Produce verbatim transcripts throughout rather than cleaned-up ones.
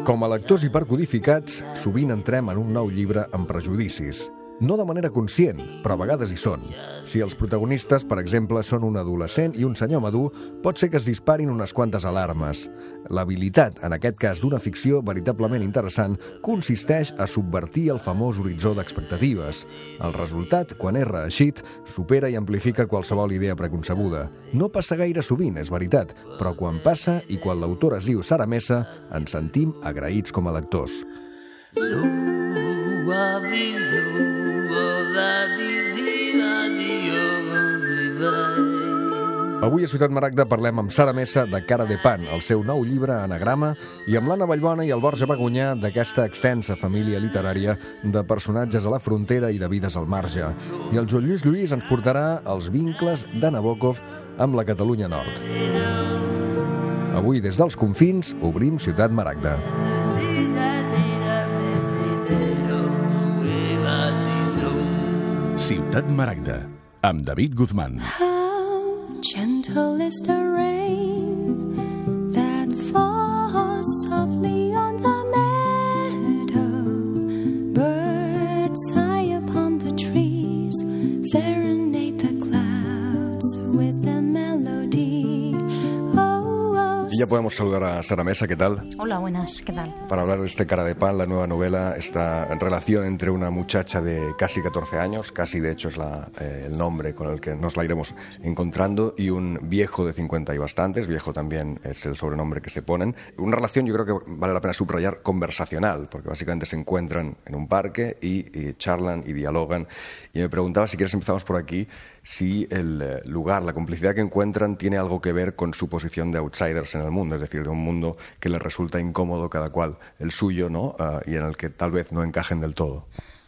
Com a lectors hipercodificats, sovint entrem en un nou llibre amb prejudicis. No de manera conscient, però a vegades hi són. Si els protagonistes, per exemple, són un adolescent i un senyor madur, pot ser que es disparin unes quantes alarmes. L'habilitat, en aquest cas d'una ficció veritablement interessant, consisteix a subvertir el famós horitzó d'expectatives. El resultat, quan és reeixit, supera i amplifica qualsevol idea preconcebuda. No passa gaire sovint, és veritat, però quan passa i quan l'autor es diu Sara Mesa, ens sentim agraïts com a lectors. Avui a Ciutat Maragda parlem amb Sara Mesa de Cara de Pan, el seu nou llibre Anagrama, i amb l'Anna Vallbona i el Borja Bagunyà d'aquesta extensa família literària de personatges a la frontera i de vides al marge. I el Joan Lluís Lluís ens portarà els vincles de Nabokov amb la Catalunya Nord. Avui, des dels confins, obrim Ciutat Maragda. Ciutat Maragda, amb David Guzmán. How gentle is the rain that falls softly on the meadow. Birds high upon the trees serenade the clouds with a melody. Oh, oh. Y ya podemos saludar a Sara Mesa, ¿qué tal? Hola, buenas, ¿qué tal? Para hablar de este Cara de Pan, la nueva novela, esta relación entre una muchacha de casi catorce años, casi de hecho es la, eh, el nombre con el que nos la iremos encontrando, y un viejo de cincuenta y bastantes, viejo también es el sobrenombre que se ponen. Una relación, yo creo que vale la pena subrayar, conversacional, porque básicamente se encuentran en un parque y, y charlan y dialogan. Y me preguntaba, si quieres empezamos por aquí, si el lugar, la complicidad que encuentran tiene algo que ver con su posición de outsiders en el mundo, es decir, de un mundo que les resulta incómodo cada cual el suyo, ¿no? Uh, y en el que tal vez no encajen del todo.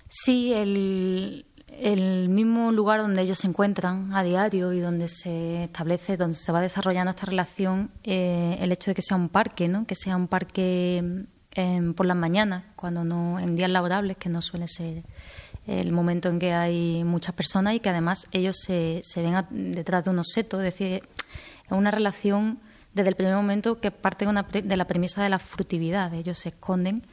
Sí, el, el mismo lugar donde ellos se encuentran a diario y donde se establece, donde se va desarrollando esta relación, eh, el hecho de que sea un parque, ¿no? Que sea un parque eh, por las mañanas, cuando no, en días laborables, que no suele ser el momento en que hay muchas personas, y que además ellos se, se ven a, detrás de unos setos, es decir, es una relación desde el primer momento que parte de, una, de la premisa de la furtividad. Ellos se esconden,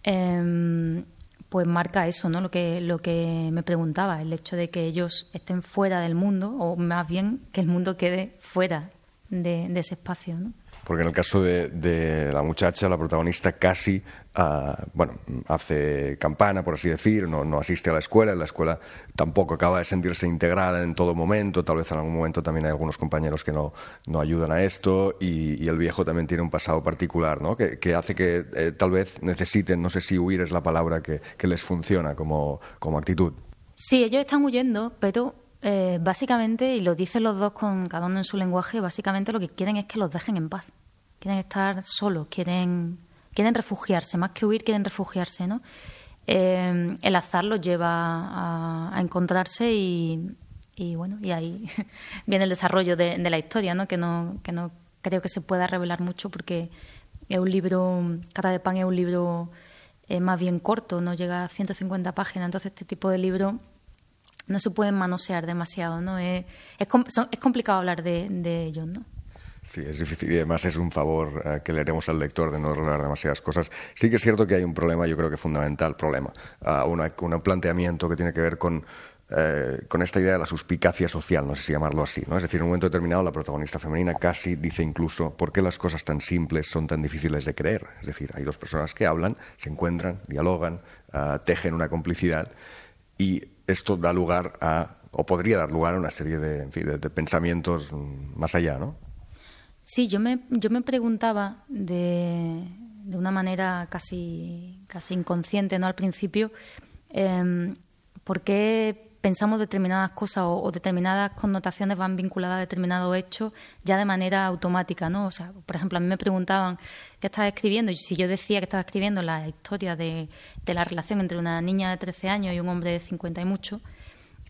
eh, pues marca eso, ¿no? Lo que, lo que me preguntaba, el hecho de que ellos estén fuera del mundo, o más bien que el mundo quede fuera de, de ese espacio, ¿no? Porque en el caso de, de la muchacha, la protagonista casi uh, bueno, hace campana, por así decir, no, no asiste a la escuela, en la escuela tampoco acaba de sentirse integrada en todo momento, tal vez en algún momento también hay algunos compañeros que no, no ayudan a esto, y, y el viejo también tiene un pasado particular, ¿no? que, que hace que eh, tal vez necesiten, no sé si huir es la palabra que, que les funciona como, como actitud. Sí, ellos están huyendo, pero eh, básicamente, y lo dicen los dos con cada uno en su lenguaje, básicamente lo que quieren es que los dejen en paz. Quieren estar solos, quieren, quieren refugiarse, más que huir, quieren refugiarse, ¿no? Eh, el azar los lleva a, a encontrarse y, y, bueno, y ahí viene el desarrollo de, de la historia, ¿no? Que no, que no creo que se pueda revelar mucho, porque es un libro, Cara de Pan es un libro eh, más bien corto, no llega a ciento cincuenta páginas, entonces este tipo de libros no se pueden manosear demasiado, ¿no? Es, es, son, es complicado hablar de, de ellos, ¿no? Sí, es difícil, y además es un favor eh, que le haremos al lector de no revelar demasiadas cosas. Sí que es cierto que hay un problema, yo creo que fundamental problema, uh, una, un planteamiento que tiene que ver con, eh, con esta idea de la suspicacia social, no sé si llamarlo así, ¿no? Es decir, en un momento determinado la protagonista femenina casi dice incluso ¿por qué las cosas tan simples son tan difíciles de creer? Es decir, hay dos personas que hablan, se encuentran, dialogan, uh, tejen una complicidad, y esto da lugar a, o podría dar lugar a una serie de, en fin, de, de pensamientos más allá, ¿no? Sí, yo me, yo me preguntaba de, de una manera casi, casi inconsciente, ¿no? Al principio, eh, ¿por qué pensamos determinadas cosas o, o determinadas connotaciones van vinculadas a determinados hechos ya de manera automática, ¿no? O sea, por ejemplo, a mí me preguntaban qué estaba escribiendo, y si yo decía que estaba escribiendo la historia de, de la relación entre una niña de trece años y un hombre de cincuenta y mucho,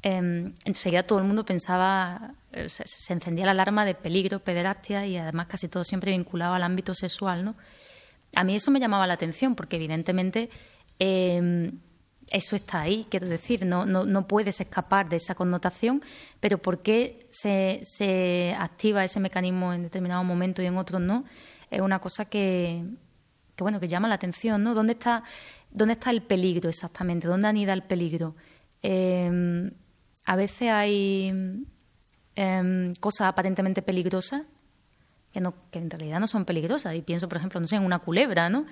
eh, enseguida todo el mundo pensaba, se, se encendía la alarma de peligro, pederastia, y además casi todo siempre vinculado al ámbito sexual, ¿no? A mí eso me llamaba la atención, porque evidentemente eh, eso está ahí, quiero decir, no, no, no puedes escapar de esa connotación, pero ¿por qué se, se activa ese mecanismo en determinado momento y en otros no? Es una cosa que, que bueno, que llama la atención, ¿no? ¿Dónde está, dónde está el peligro exactamente? ¿Dónde anida el peligro? Eh, a veces hay eh, cosas aparentemente peligrosas que, no, que en realidad no son peligrosas. Y pienso, por ejemplo, no sé, en una culebra, ¿no?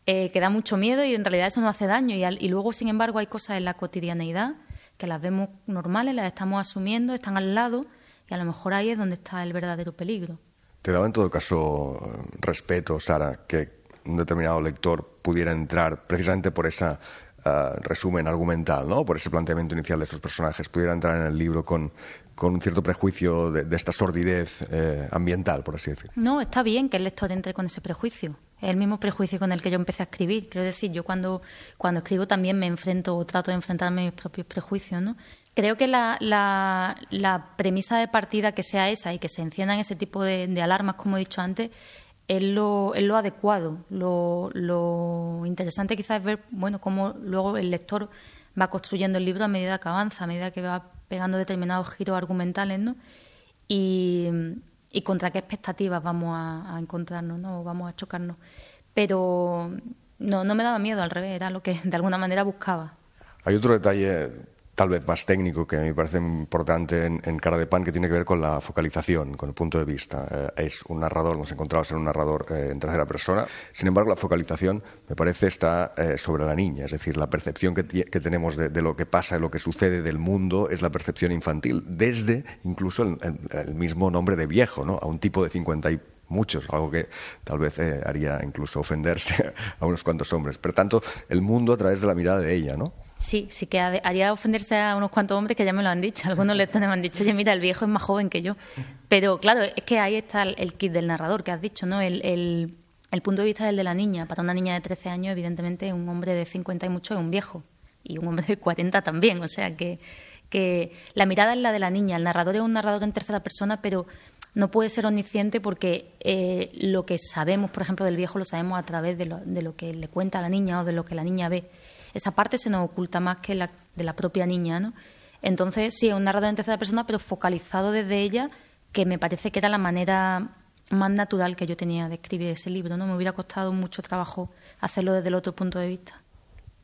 Eh, que da mucho miedo y en realidad eso no hace daño. Y, al, y luego, sin embargo, hay cosas en la cotidianeidad que las vemos normales, las estamos asumiendo, están al lado y a lo mejor ahí es donde está el verdadero peligro. ¿Te daba en todo caso respeto, Sara, que un determinado lector pudiera entrar precisamente por ese uh, resumen argumental, ¿no? Por ese planteamiento inicial de estos personajes, pudiera entrar en el libro con, con un cierto prejuicio de, de esta sordidez eh, ambiental, por así decirlo? No, está bien que el lector entre con ese prejuicio. Es el mismo prejuicio con el que yo empecé a escribir. Quiero decir, yo cuando, cuando escribo también me enfrento o trato de enfrentarme a mis propios prejuicios, ¿no? Creo que la, la, la premisa de partida que sea esa y que se enciendan ese tipo de, de alarmas, como he dicho antes, es lo, es lo adecuado. Lo, lo interesante quizás es ver, bueno, cómo luego el lector va construyendo el libro a medida que avanza, a medida que va pegando determinados giros argumentales, ¿no? Y... y contra qué expectativas vamos a, a encontrarnos, ¿no? O vamos a chocarnos. Pero no, no me daba miedo, al revés, era lo que de alguna manera buscaba. Hay otro detalle tal vez más técnico que a mí me parece importante en, en Cara de Pan, que tiene que ver con la focalización, con el punto de vista. Eh, es un narrador, nos encontramos en un narrador eh, en tercera persona. Sin embargo, la focalización, me parece, está eh, sobre la niña. Es decir, la percepción que, que tenemos de, de lo que pasa, de lo que sucede del mundo, es la percepción infantil, desde incluso el, el, el mismo nombre de viejo, ¿no? A un tipo de cincuenta y muchos, algo que tal vez eh, haría incluso ofenderse a unos cuantos hombres. Por tanto, el mundo a través de la mirada de ella, ¿no? Sí, sí que haría ofenderse a unos cuantos hombres que ya me lo han dicho. Algunos lectores me han dicho, oye, mira, el viejo es más joven que yo. Pero claro, es que ahí está el, el kit del narrador que has dicho, ¿no? El, el, el punto de vista es el de la niña. Para una niña de trece años, evidentemente, un hombre de cincuenta y mucho es un viejo. Y un hombre de cuarenta también. O sea, que, que la mirada es la de la niña. El narrador es un narrador en tercera persona, pero no puede ser omnisciente porque eh, lo que sabemos, por ejemplo, del viejo lo sabemos a través de lo, de lo que le cuenta a la niña o de lo que la niña ve. Esa parte se nos oculta más que la de la propia niña, ¿no? Entonces, sí, es un narrador en tercera persona, pero focalizado desde ella, que me parece que era la manera más natural que yo tenía de escribir ese libro, ¿no? Me hubiera costado mucho trabajo hacerlo desde el otro punto de vista.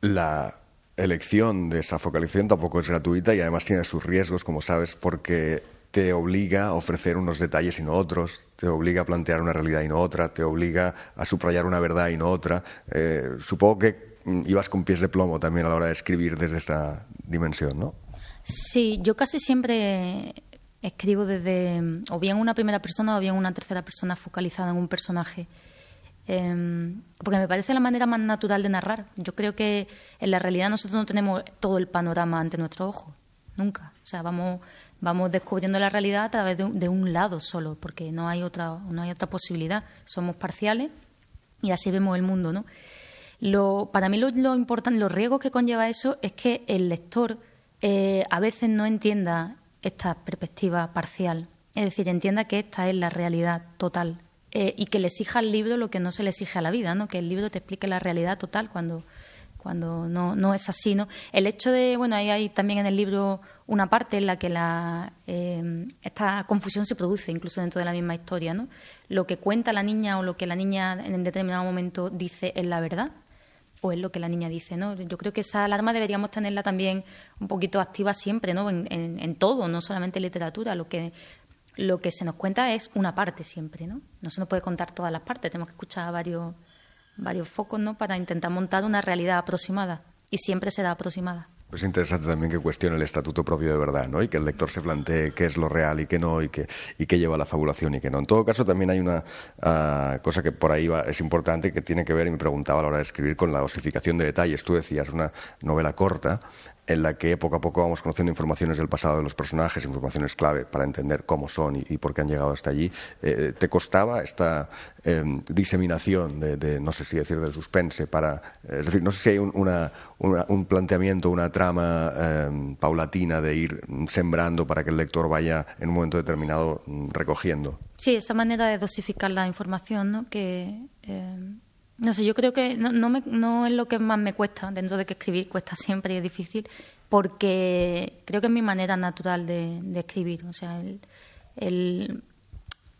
La elección de esa focalización tampoco es gratuita y además tiene sus riesgos, como sabes, porque te obliga a ofrecer unos detalles y no otros, te obliga a plantear una realidad y no otra, te obliga a subrayar una verdad y no otra. Eh, supongo que ibas con pies de plomo también a la hora de escribir desde esta dimensión, ¿no? Sí, yo casi siempre escribo desde o bien una primera persona o bien una tercera persona focalizada en un personaje. Eh, porque me parece la manera más natural de narrar. Yo creo que en la realidad nosotros no tenemos todo el panorama ante nuestros ojos, nunca. O sea, vamos, vamos descubriendo la realidad a través de un, de un lado solo, porque no hay otra, no hay otra posibilidad. Somos parciales y así vemos el mundo, ¿no? Lo, para mí lo, lo importante, los riesgos que conlleva eso es que el lector eh, a veces no entienda esta perspectiva parcial, es decir, entienda que esta es la realidad total eh, y que le exija al libro lo que no se le exige a la vida, ¿no? Que el libro te explique la realidad total cuando, cuando no, no es así, ¿no? El hecho de, bueno, ahí hay también en el libro una parte en la que la, eh, esta confusión se produce incluso dentro de la misma historia, ¿no? Lo que cuenta la niña o lo que la niña en determinado momento dice es la verdad, o es lo que la niña dice, ¿no? Yo creo que esa alarma deberíamos tenerla también un poquito activa siempre, ¿no? En, en, en todo, no solamente en literatura. Lo que, lo que se nos cuenta es una parte siempre, ¿no? No se nos puede contar todas las partes, tenemos que escuchar varios, varios focos, ¿no? Para intentar montar una realidad aproximada, y siempre será aproximada. Es interesante también que cuestione el estatuto propio de verdad, ¿no? Y que el lector se plantee qué es lo real y qué no, y qué, y qué lleva la fabulación y qué no. En todo caso, también hay una uh, cosa que por ahí va, es importante, que tiene que ver, y me preguntaba a la hora de escribir, con la osificación de detalles. Tú decías, una novela corta en la que poco a poco vamos conociendo informaciones del pasado de los personajes, informaciones clave para entender cómo son y, y por qué han llegado hasta allí. Eh, ¿Te costaba esta eh, diseminación de, de, no sé si decir, del suspense? Para, eh, es decir, no sé si hay un, una, una, un planteamiento, una trama eh, paulatina de ir sembrando para que el lector vaya en un momento determinado recogiendo. Sí, esa manera de dosificar la información, ¿no? Que... Eh... No sé, yo creo que no, no, me, no es lo que más me cuesta, dentro de que escribir cuesta siempre y es difícil, porque creo que es mi manera natural de, de escribir. O sea, el, el,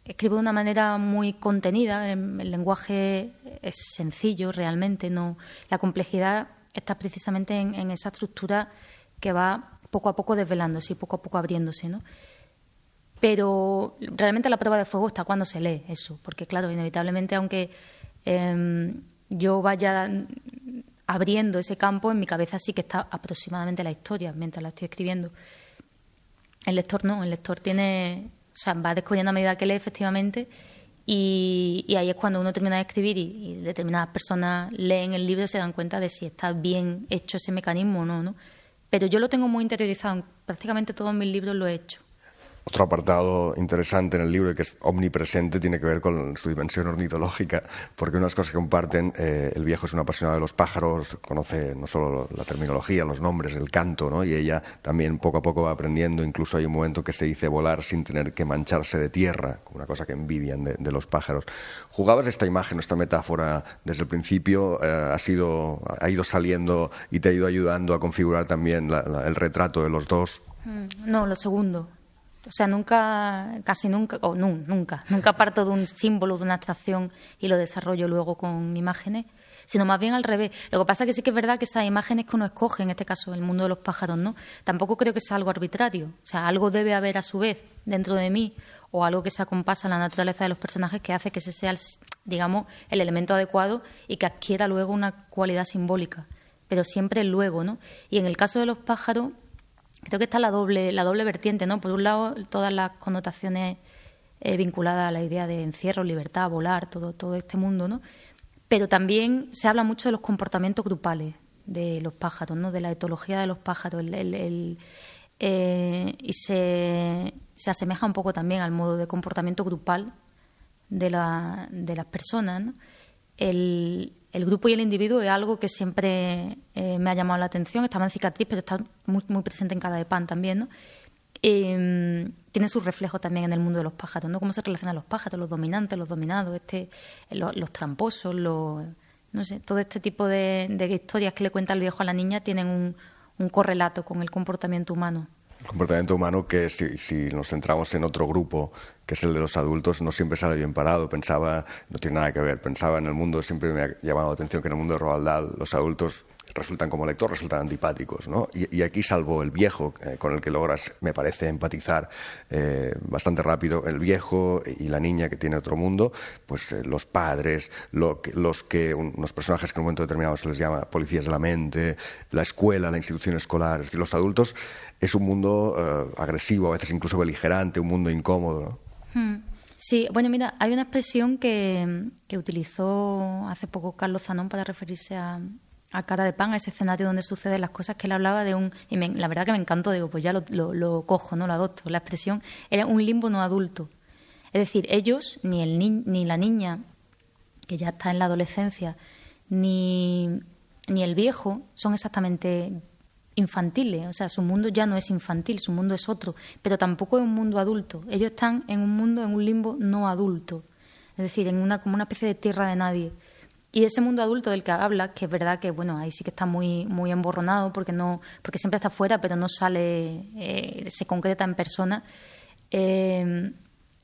escribo de una manera muy contenida, el, el lenguaje es sencillo realmente, no la complejidad está precisamente en, en esa estructura que va poco a poco desvelándose y poco a poco abriéndose, ¿no? Pero realmente la prueba de fuego está cuando se lee eso, porque claro, inevitablemente, aunque eh, yo vaya abriendo ese campo, en mi cabeza sí que está aproximadamente la historia mientras la estoy escribiendo. El lector no, el lector tiene, o sea, va descubriendo a medida que lee, efectivamente, y, y ahí es cuando uno termina de escribir y, y determinadas personas leen el libro y se dan cuenta de si está bien hecho ese mecanismo o no, ¿no? Pero yo lo tengo muy interiorizado, en prácticamente todos mis libros lo he hecho. Otro apartado interesante en el libro y que es omnipresente tiene que ver con su dimensión ornitológica, porque una de las cosas que comparten, eh, el viejo es una apasionada de los pájaros, conoce no solo la terminología, los nombres, el canto, ¿no? Y ella también poco a poco va aprendiendo. Incluso hay un momento que se dice volar sin tener que mancharse de tierra, una cosa que envidian de, de los pájaros. ¿Jugabas esta imagen, esta metáfora desde el principio? Eh, ha, sido, ha ido saliendo y te ha ido ayudando a configurar también la, la, el retrato de los dos? No, lo segundo. O sea, nunca, casi nunca, o no, nunca, nunca parto de un símbolo, de una abstracción y lo desarrollo luego con imágenes, sino más bien al revés. Lo que pasa es que sí que es verdad que esas imágenes que uno escoge, en este caso el mundo de los pájaros, ¿no? Tampoco creo que sea algo arbitrario. O sea, algo debe haber a su vez dentro de mí o algo que se acompasa a la naturaleza de los personajes que hace que ese sea, el, digamos, el elemento adecuado y que adquiera luego una cualidad simbólica. Pero siempre el luego, ¿no? Y en el caso de los pájaros, creo que está la doble, la doble vertiente, ¿no? Por un lado, todas las connotaciones eh, vinculadas a la idea de encierro, libertad, volar, todo, todo este mundo, ¿no? Pero también se habla mucho de los comportamientos grupales de los pájaros, ¿no? De la etología de los pájaros, el, el, el, eh, y se, se asemeja un poco también al modo de comportamiento grupal de, la, de las personas, ¿no? El, el grupo y el individuo es algo que siempre eh, me ha llamado la atención. Estaba en Cicatriz, pero está muy, muy presente en Cara de Pan también, ¿no? Eh, tiene su reflejo también en el mundo de los pájaros, ¿no? Cómo se relacionan los pájaros, los dominantes, los dominados, este, los, los tramposos, los, no sé, todo este tipo de, de historias que le cuenta el viejo a la niña tienen un, un correlato con el comportamiento humano. El comportamiento humano que, si, si nos centramos en otro grupo, que es el de los adultos, no siempre sale bien parado. Pensaba, no tiene nada que ver, pensaba en el mundo, siempre me ha llamado la atención que en el mundo de Roald Dahl los adultos resultan como lector, resultan antipáticos, ¿no? Y, y aquí, salvo el viejo, eh, con el que logras, me parece, empatizar eh, bastante rápido, el viejo y la niña que tiene otro mundo, pues eh, los padres, lo que, los que, unos personajes que en un momento determinado se les llama policías de la mente, la escuela, la institución escolar, es decir, los adultos es un mundo eh, agresivo, a veces incluso beligerante, un mundo incómodo, ¿no? Hmm. Sí, bueno, mira, hay una expresión que, que utilizó hace poco Carlos Zanón para referirse a, a Cara de Pan, a ese escenario donde suceden las cosas, que él hablaba de un... Y me, la verdad que me encantó, digo, pues ya lo, lo, lo cojo, no lo adopto. La expresión era un limbo no adulto. Es decir, ellos, ni, el ni, ni la niña, que ya está en la adolescencia, ni, ni el viejo, son exactamente infantiles. O sea, su mundo ya no es infantil, su mundo es otro, pero tampoco es un mundo adulto. Ellos están en un mundo, en un limbo no adulto. Es decir, en una como una especie de tierra de nadie. Y ese mundo adulto del que habla, que es verdad que, bueno, ahí sí que está muy muy emborronado porque no porque siempre está fuera, pero no sale, eh, se concreta en persona, eh,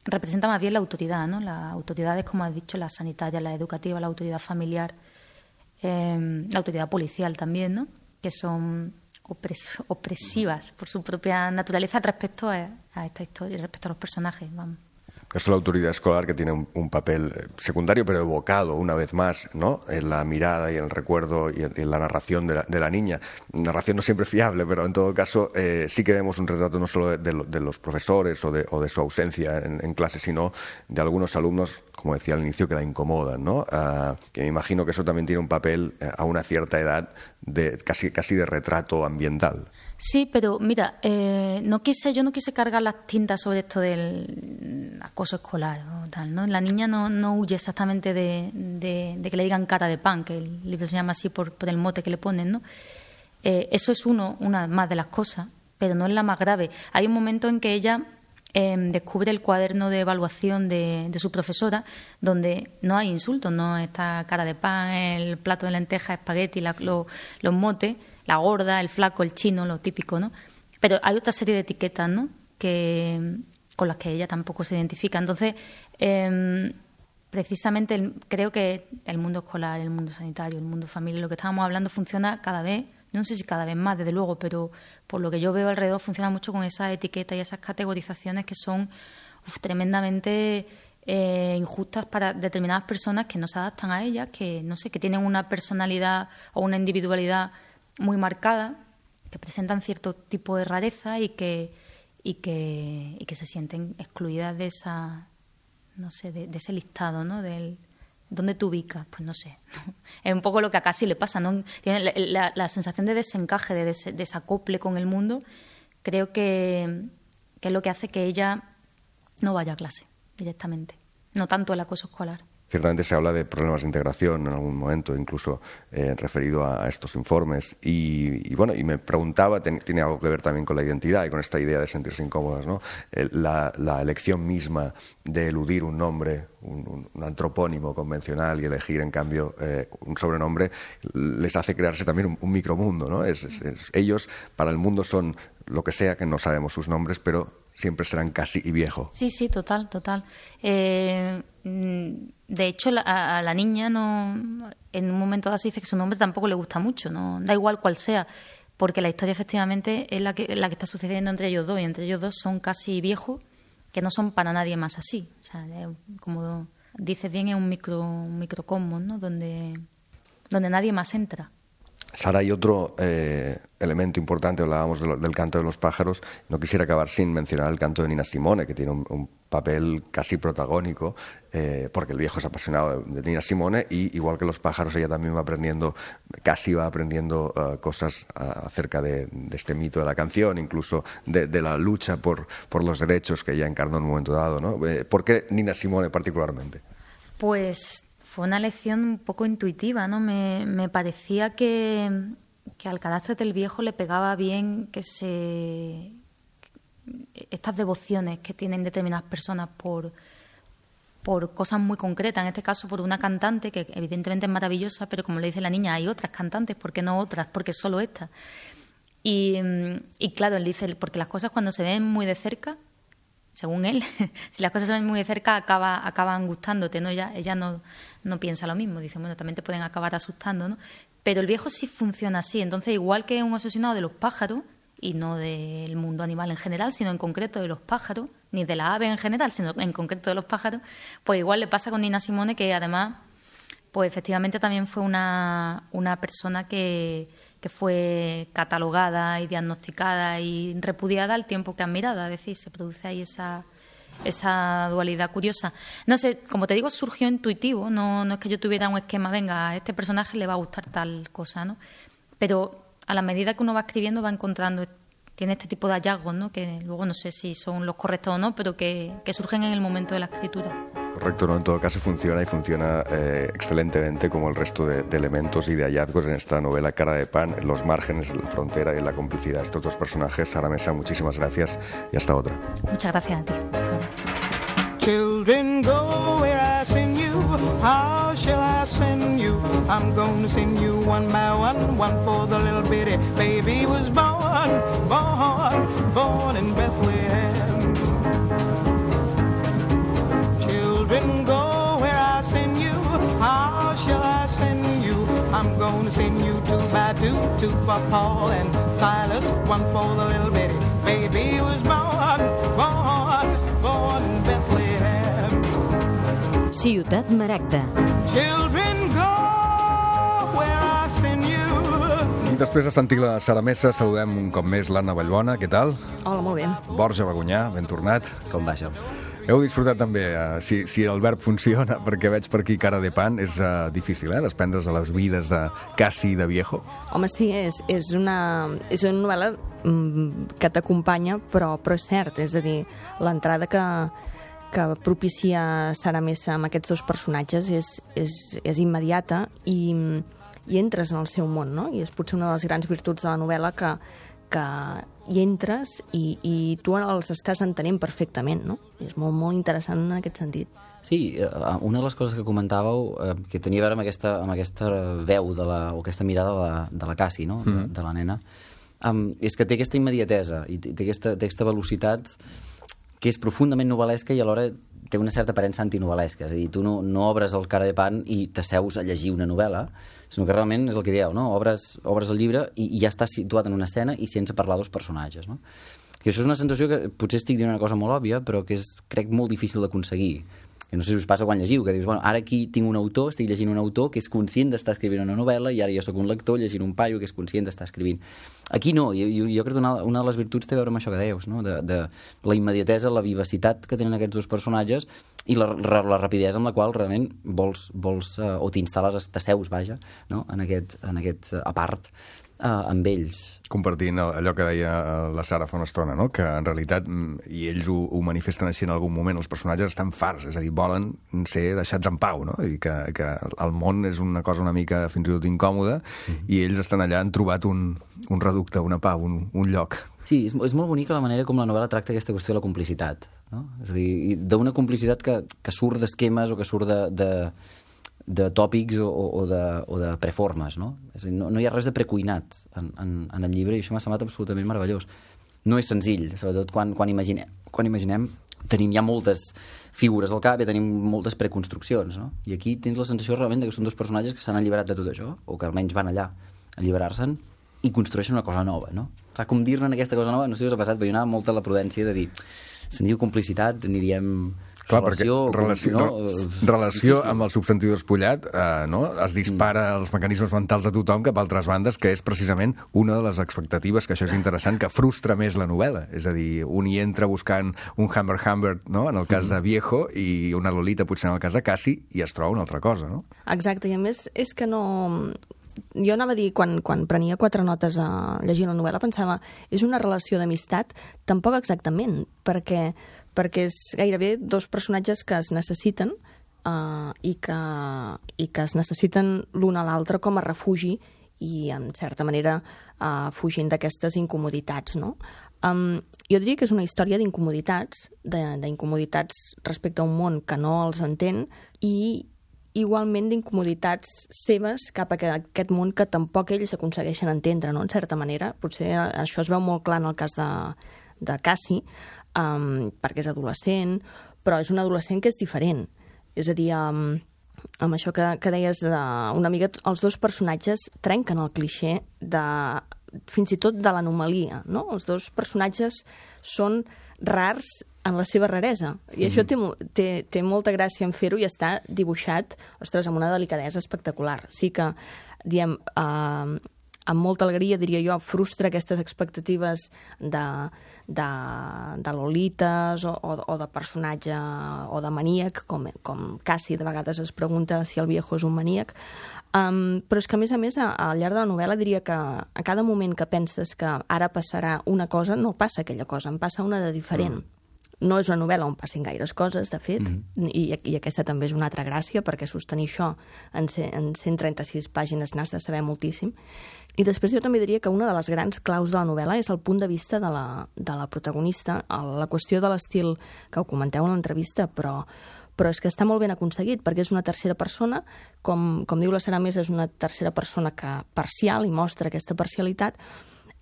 representa más bien la autoridad, ¿no? Las autoridades, como has dicho, la sanitaria, la educativa, la autoridad familiar, eh, la autoridad policial también, ¿no? Que son opres- opresivas por su propia naturaleza respecto a, a esta historia, respecto a los personajes, vamos. Es la autoridad escolar, que tiene un, un papel secundario, pero evocado una vez más, ¿no? En la mirada y en el recuerdo y en, en la narración de la, de la niña. Narración no siempre fiable, pero en todo caso eh, sí que vemos un retrato no solo de, de, de los profesores o de, o de su ausencia en, en clase, sino de algunos alumnos, como decía al inicio, que la incomodan, ¿no? Uh, que me imagino que eso también tiene un papel eh, a una cierta edad de casi, casi de retrato ambiental. Sí, pero mira, eh, no quise, yo no quise cargar las tintas sobre esto del acoso escolar o tal, ¿no? La niña no, no huye exactamente de, de, de que le digan Cara de Pan, que el libro se llama así por, por el mote que le ponen, ¿no? Eh, eso es uno, una más de las cosas, pero no es la más grave. Hay un momento en que ella eh, descubre el cuaderno de evaluación de, de su profesora, donde no hay insultos, no está cara de pan, el plato de lentejas, espagueti, la, lo, los motes, la gorda, el flaco, el chino, lo típico, ¿no? Pero hay otra serie de etiquetas, ¿no?, que, con las que ella tampoco se identifica. Entonces, eh, precisamente el, creo que el mundo escolar, el mundo sanitario, el mundo familiar, lo que estábamos hablando funciona cada vez, no sé si cada vez más, desde luego, pero por lo que yo veo alrededor funciona mucho con esas etiquetas y esas categorizaciones que son uf, tremendamente eh, injustas para determinadas personas que no se adaptan a ellas, que no sé, que tienen una personalidad o una individualidad muy marcada, que presentan cierto tipo de rareza y que y que y que se sienten excluidas de esa, no sé, de, de ese listado, ¿no? Del ¿dónde te ubicas? Pues no sé. Es un poco lo que a Cassie le pasa, ¿no? Tiene la, la, la sensación de desencaje, de des, desacople con el mundo. Creo que, que es lo que hace que ella no vaya a clase directamente, no tanto el acoso escolar. Ciertamente se habla de problemas de integración en algún momento, incluso eh, referido a, a estos informes. Y, y bueno, y me preguntaba, ten, tiene algo que ver también con la identidad y con esta idea de sentirse incómodas, ¿no? El, la, la elección misma de eludir un nombre, un, un, un antropónimo convencional y elegir, en cambio, eh, un sobrenombre, les hace crearse también un, un micromundo, ¿no? Es, es, es, ellos, para el mundo, son lo que sea, que no sabemos sus nombres, pero siempre serán Cassie y Viejo. Sí, sí, total, total. Eh, de hecho, la, a la niña no, en un momento dado se dice que su nombre tampoco le gusta mucho, no da igual cuál sea, porque la historia efectivamente es la que, la que está sucediendo entre ellos dos, y entre ellos dos son Cassie y Viejo, que no son para nadie más así. O sea, como dices bien, es un micro, un microcosmos, ¿no? Donde, donde nadie más entra. Sara, hay otro eh, elemento importante, hablábamos de lo, del canto de los pájaros. No quisiera acabar sin mencionar el canto de Nina Simone, que tiene un, un papel casi protagónico, eh, porque el viejo es apasionado de, de Nina Simone, y igual que los pájaros, ella también va aprendiendo, casi va aprendiendo uh, cosas uh, acerca de, de este mito de la canción, incluso de, de la lucha por, por los derechos que ella encarnó en un momento dado, ¿no? Eh, ¿Por qué Nina Simone particularmente? Pues fue una lección un poco intuitiva, ¿no? Me, me parecía que, que al carácter del viejo le pegaba bien que se estas devociones que tienen determinadas personas por, por cosas muy concretas, en este caso por una cantante que evidentemente es maravillosa, pero como le dice la niña, hay otras cantantes, ¿por qué no otras? Porque solo esta. Y, y claro, él dice, porque las cosas cuando se ven muy de cerca, según él, si las cosas se ven muy de cerca, acaba, acaban gustándote, ¿no? Ella, ella no, no piensa lo mismo, dice, bueno, también te pueden acabar asustando, ¿no? Pero el viejo sí funciona así, entonces igual que es un obsesionado de los pájaros, y no del mundo animal en general, sino en concreto de los pájaros, ni de la ave en general, sino en concreto de los pájaros, pues igual le pasa con Nina Simone, que además, pues efectivamente también fue una, una persona que, que fue catalogada y diagnosticada y repudiada al tiempo que admirada, es decir, se produce ahí esa, esa dualidad curiosa. No sé, como te digo, surgió intuitivo, no, no es que yo tuviera un esquema, venga, a este personaje le va a gustar tal cosa, ¿no? Pero a la medida que uno va escribiendo va encontrando, tiene este tipo de hallazgos, ¿no? Que luego no sé si son los correctos o no, pero que, que surgen en el momento de la escritura. Correcto, ¿no? En todo caso funciona y funciona eh, excelentemente, como el resto de, de elementos y de hallazgos en esta novela Cara de Pan, en los márgenes, en la frontera y en la complicidad de estos dos personajes. Sara Mesa, muchísimas gracias y hasta otra. Muchas gracias a ti. Children, go where I send you. How shall I send you? I'm gonna send you one by one, one for the little bitty baby was born, born, born in Bethlehem. Children, go where I send you. How shall I send you? I'm gonna send you two by two, two for Paul and Silas, one for the little bitty baby was born, born, born in Bethlehem. Ciutat Maragda. Children, go where I send you. I després de sentir la Sara Mesa, saludem un cop més l'Anna Vallbona. Què tal? Hola, molt bé. Borja Bagonyà, ben tornat. Com va això? Heu disfrutat també, eh, si, si el verb funciona, perquè veig per aquí Cara de Pan, és uh, difícil, eh, desprendre's de les vides de Cassie i de Viejo. Home, sí, és, és, una, és una novel·la mm, que t'acompanya, però, però és cert, és a dir, l'entrada que, que propicia Sara Mesa amb aquests dos personatges és, és, és immediata i, i entres en el seu món, no? I és potser una de les grans virtuts de la novel·la que, que hi entres i, i tu els estàs entenent perfectament, no? I és molt, molt interessant en aquest sentit. Sí, una de les coses que comentàveu eh, que tenia a veure amb aquesta, amb aquesta veu de la, o aquesta mirada de la, de la Cassie, no? Mm. de, de la nena, um, és que té aquesta immediatesa i té aquesta, té aquesta velocitat que és profundament novel·lesca i alhora té una certa aparença antinovel·lesca. És a dir, tu no, no obres el cara de pan i t'asseus a llegir una novel·la, sinó que realment és el que dieu, no? Obres, obres el llibre i, i ja estàs situat en una escena i sense parlar dels personatges, no? I això és una sensació que potser estic dient una cosa molt òbvia, però que és, crec, molt difícil de aconseguir. Que no sé si us passa quan llegiu, que dius, bueno, ara aquí tinc un autor, estic llegint un autor que és conscient d'estar escrivint una novel·la i ara jo sóc un lector llegint un paio que és conscient d'estar escrivint. Aquí no, jo, jo, jo crec que una, una de les virtuts té a veure amb això que deies, no? de, de la immediatesa, la vivacitat que tenen aquests dos personatges i la, la rapidesa amb la qual realment vols, vols uh, o t'instal·les, t'asseus, vaja, no? en aquest, en aquest uh, apart uh, amb ells. Compartint allò que deia la Sara fa una estona, no? Que en realitat, i ells ho, ho manifesten així en algun moment, els personatges estan farts, és a dir, volen ser deixats en pau, no? I que, que el món és una cosa una mica fins i tot incòmoda, mm-hmm. i ells estan allà, han trobat un, un reducte, una pau, un, un lloc. Sí, és, és molt bonica la manera com la novel·la tracta aquesta qüestió de la complicitat, no? És a dir, d'una complicitat que, que surt d'esquemes o que surt de... de de tòpics o, o, de, o de preformes, no? És a dir, no, no hi ha res de precuinat en, en, en el llibre i això m'ha semblat absolutament meravellós. No és senzill, sobretot quan, quan, imaginem, quan imaginem tenim ja moltes figures al cap i tenim moltes preconstruccions, no? I aquí tens la sensació realment que són dos personatges que s'han alliberat de tot això, o que almenys van allà a alliberar-se'n i construeixen una cosa nova, no? Clar, com dir-ne aquesta cosa nova, no sé si us ha passat, però hi ha molta la prudència de dir, se'n diu complicitat, n'hi diem... Clar, relació, perquè relació, no? relació amb el substantiu despullat eh, no? Es dispara mm. els mecanismes mentals de tothom cap a altres bandes, que és precisament una de les expectatives, que això és interessant, que frustra més la novel·la. És a dir, un hi entra buscant un Hammer Hammer, no? En el cas mm. de Viejo, i una Lolita potser en el cas de Cassie, i es troba una altra cosa, no? Exacte, i a més és que no... Jo anava a dir, quan, quan prenia quatre notes a llegir la novel·la, pensava, és una relació d'amistat? Tampoc exactament, perquè... perquè és gairebé dos personatges que es necessiten uh, i, que, i que es necessiten l'un a l'altre com a refugi i, en certa manera, uh, fugint d'aquestes incomoditats, no? Um, jo diria que és una història d'incomoditats, d'incomoditats respecte a un món que no els entén i igualment d'incomoditats seves cap a aquest món que tampoc ells aconsegueixen entendre, no? En certa manera. Potser això es veu molt clar en el cas de, de Cassie, Um, perquè és adolescent, però és un adolescent que és diferent. És a dir, um, amb això que, que deies uh, una mica, els dos personatges trenquen el clixé de, fins i tot de l'anomalia, no? Els dos personatges són rars en la seva raresa, i mm. això té, té, té molta gràcia en fer-ho i està dibuixat, ostres, amb una delicadesa espectacular. Sí que, diem... Uh, amb molta alegria, diria jo, frustra aquestes expectatives de, de, de lolites o, o, o de personatge o de maníac, com, com Cassie de vegades es pregunta si el Viejo és un maníac. Um, però és que, a més a més, a, al llarg de la novel·la diria que a cada moment que penses que ara passarà una cosa, no passa aquella cosa, en passa una de diferent. Mm. No és una novel·la on passin gaires coses, de fet, mm-hmm. i, i aquesta també és una altra gràcia, perquè sostenir això en, en cent trenta-sis pàgines n'has de saber moltíssim. I després jo també diria que una de les grans claus de la novel·la és el punt de vista de la, de la protagonista, la qüestió de l'estil que ho comenteu en l'entrevista, però, però és que està molt ben aconseguit, perquè és una tercera persona, com, com diu la Sara Més, és una tercera persona que parcial i mostra aquesta parcialitat,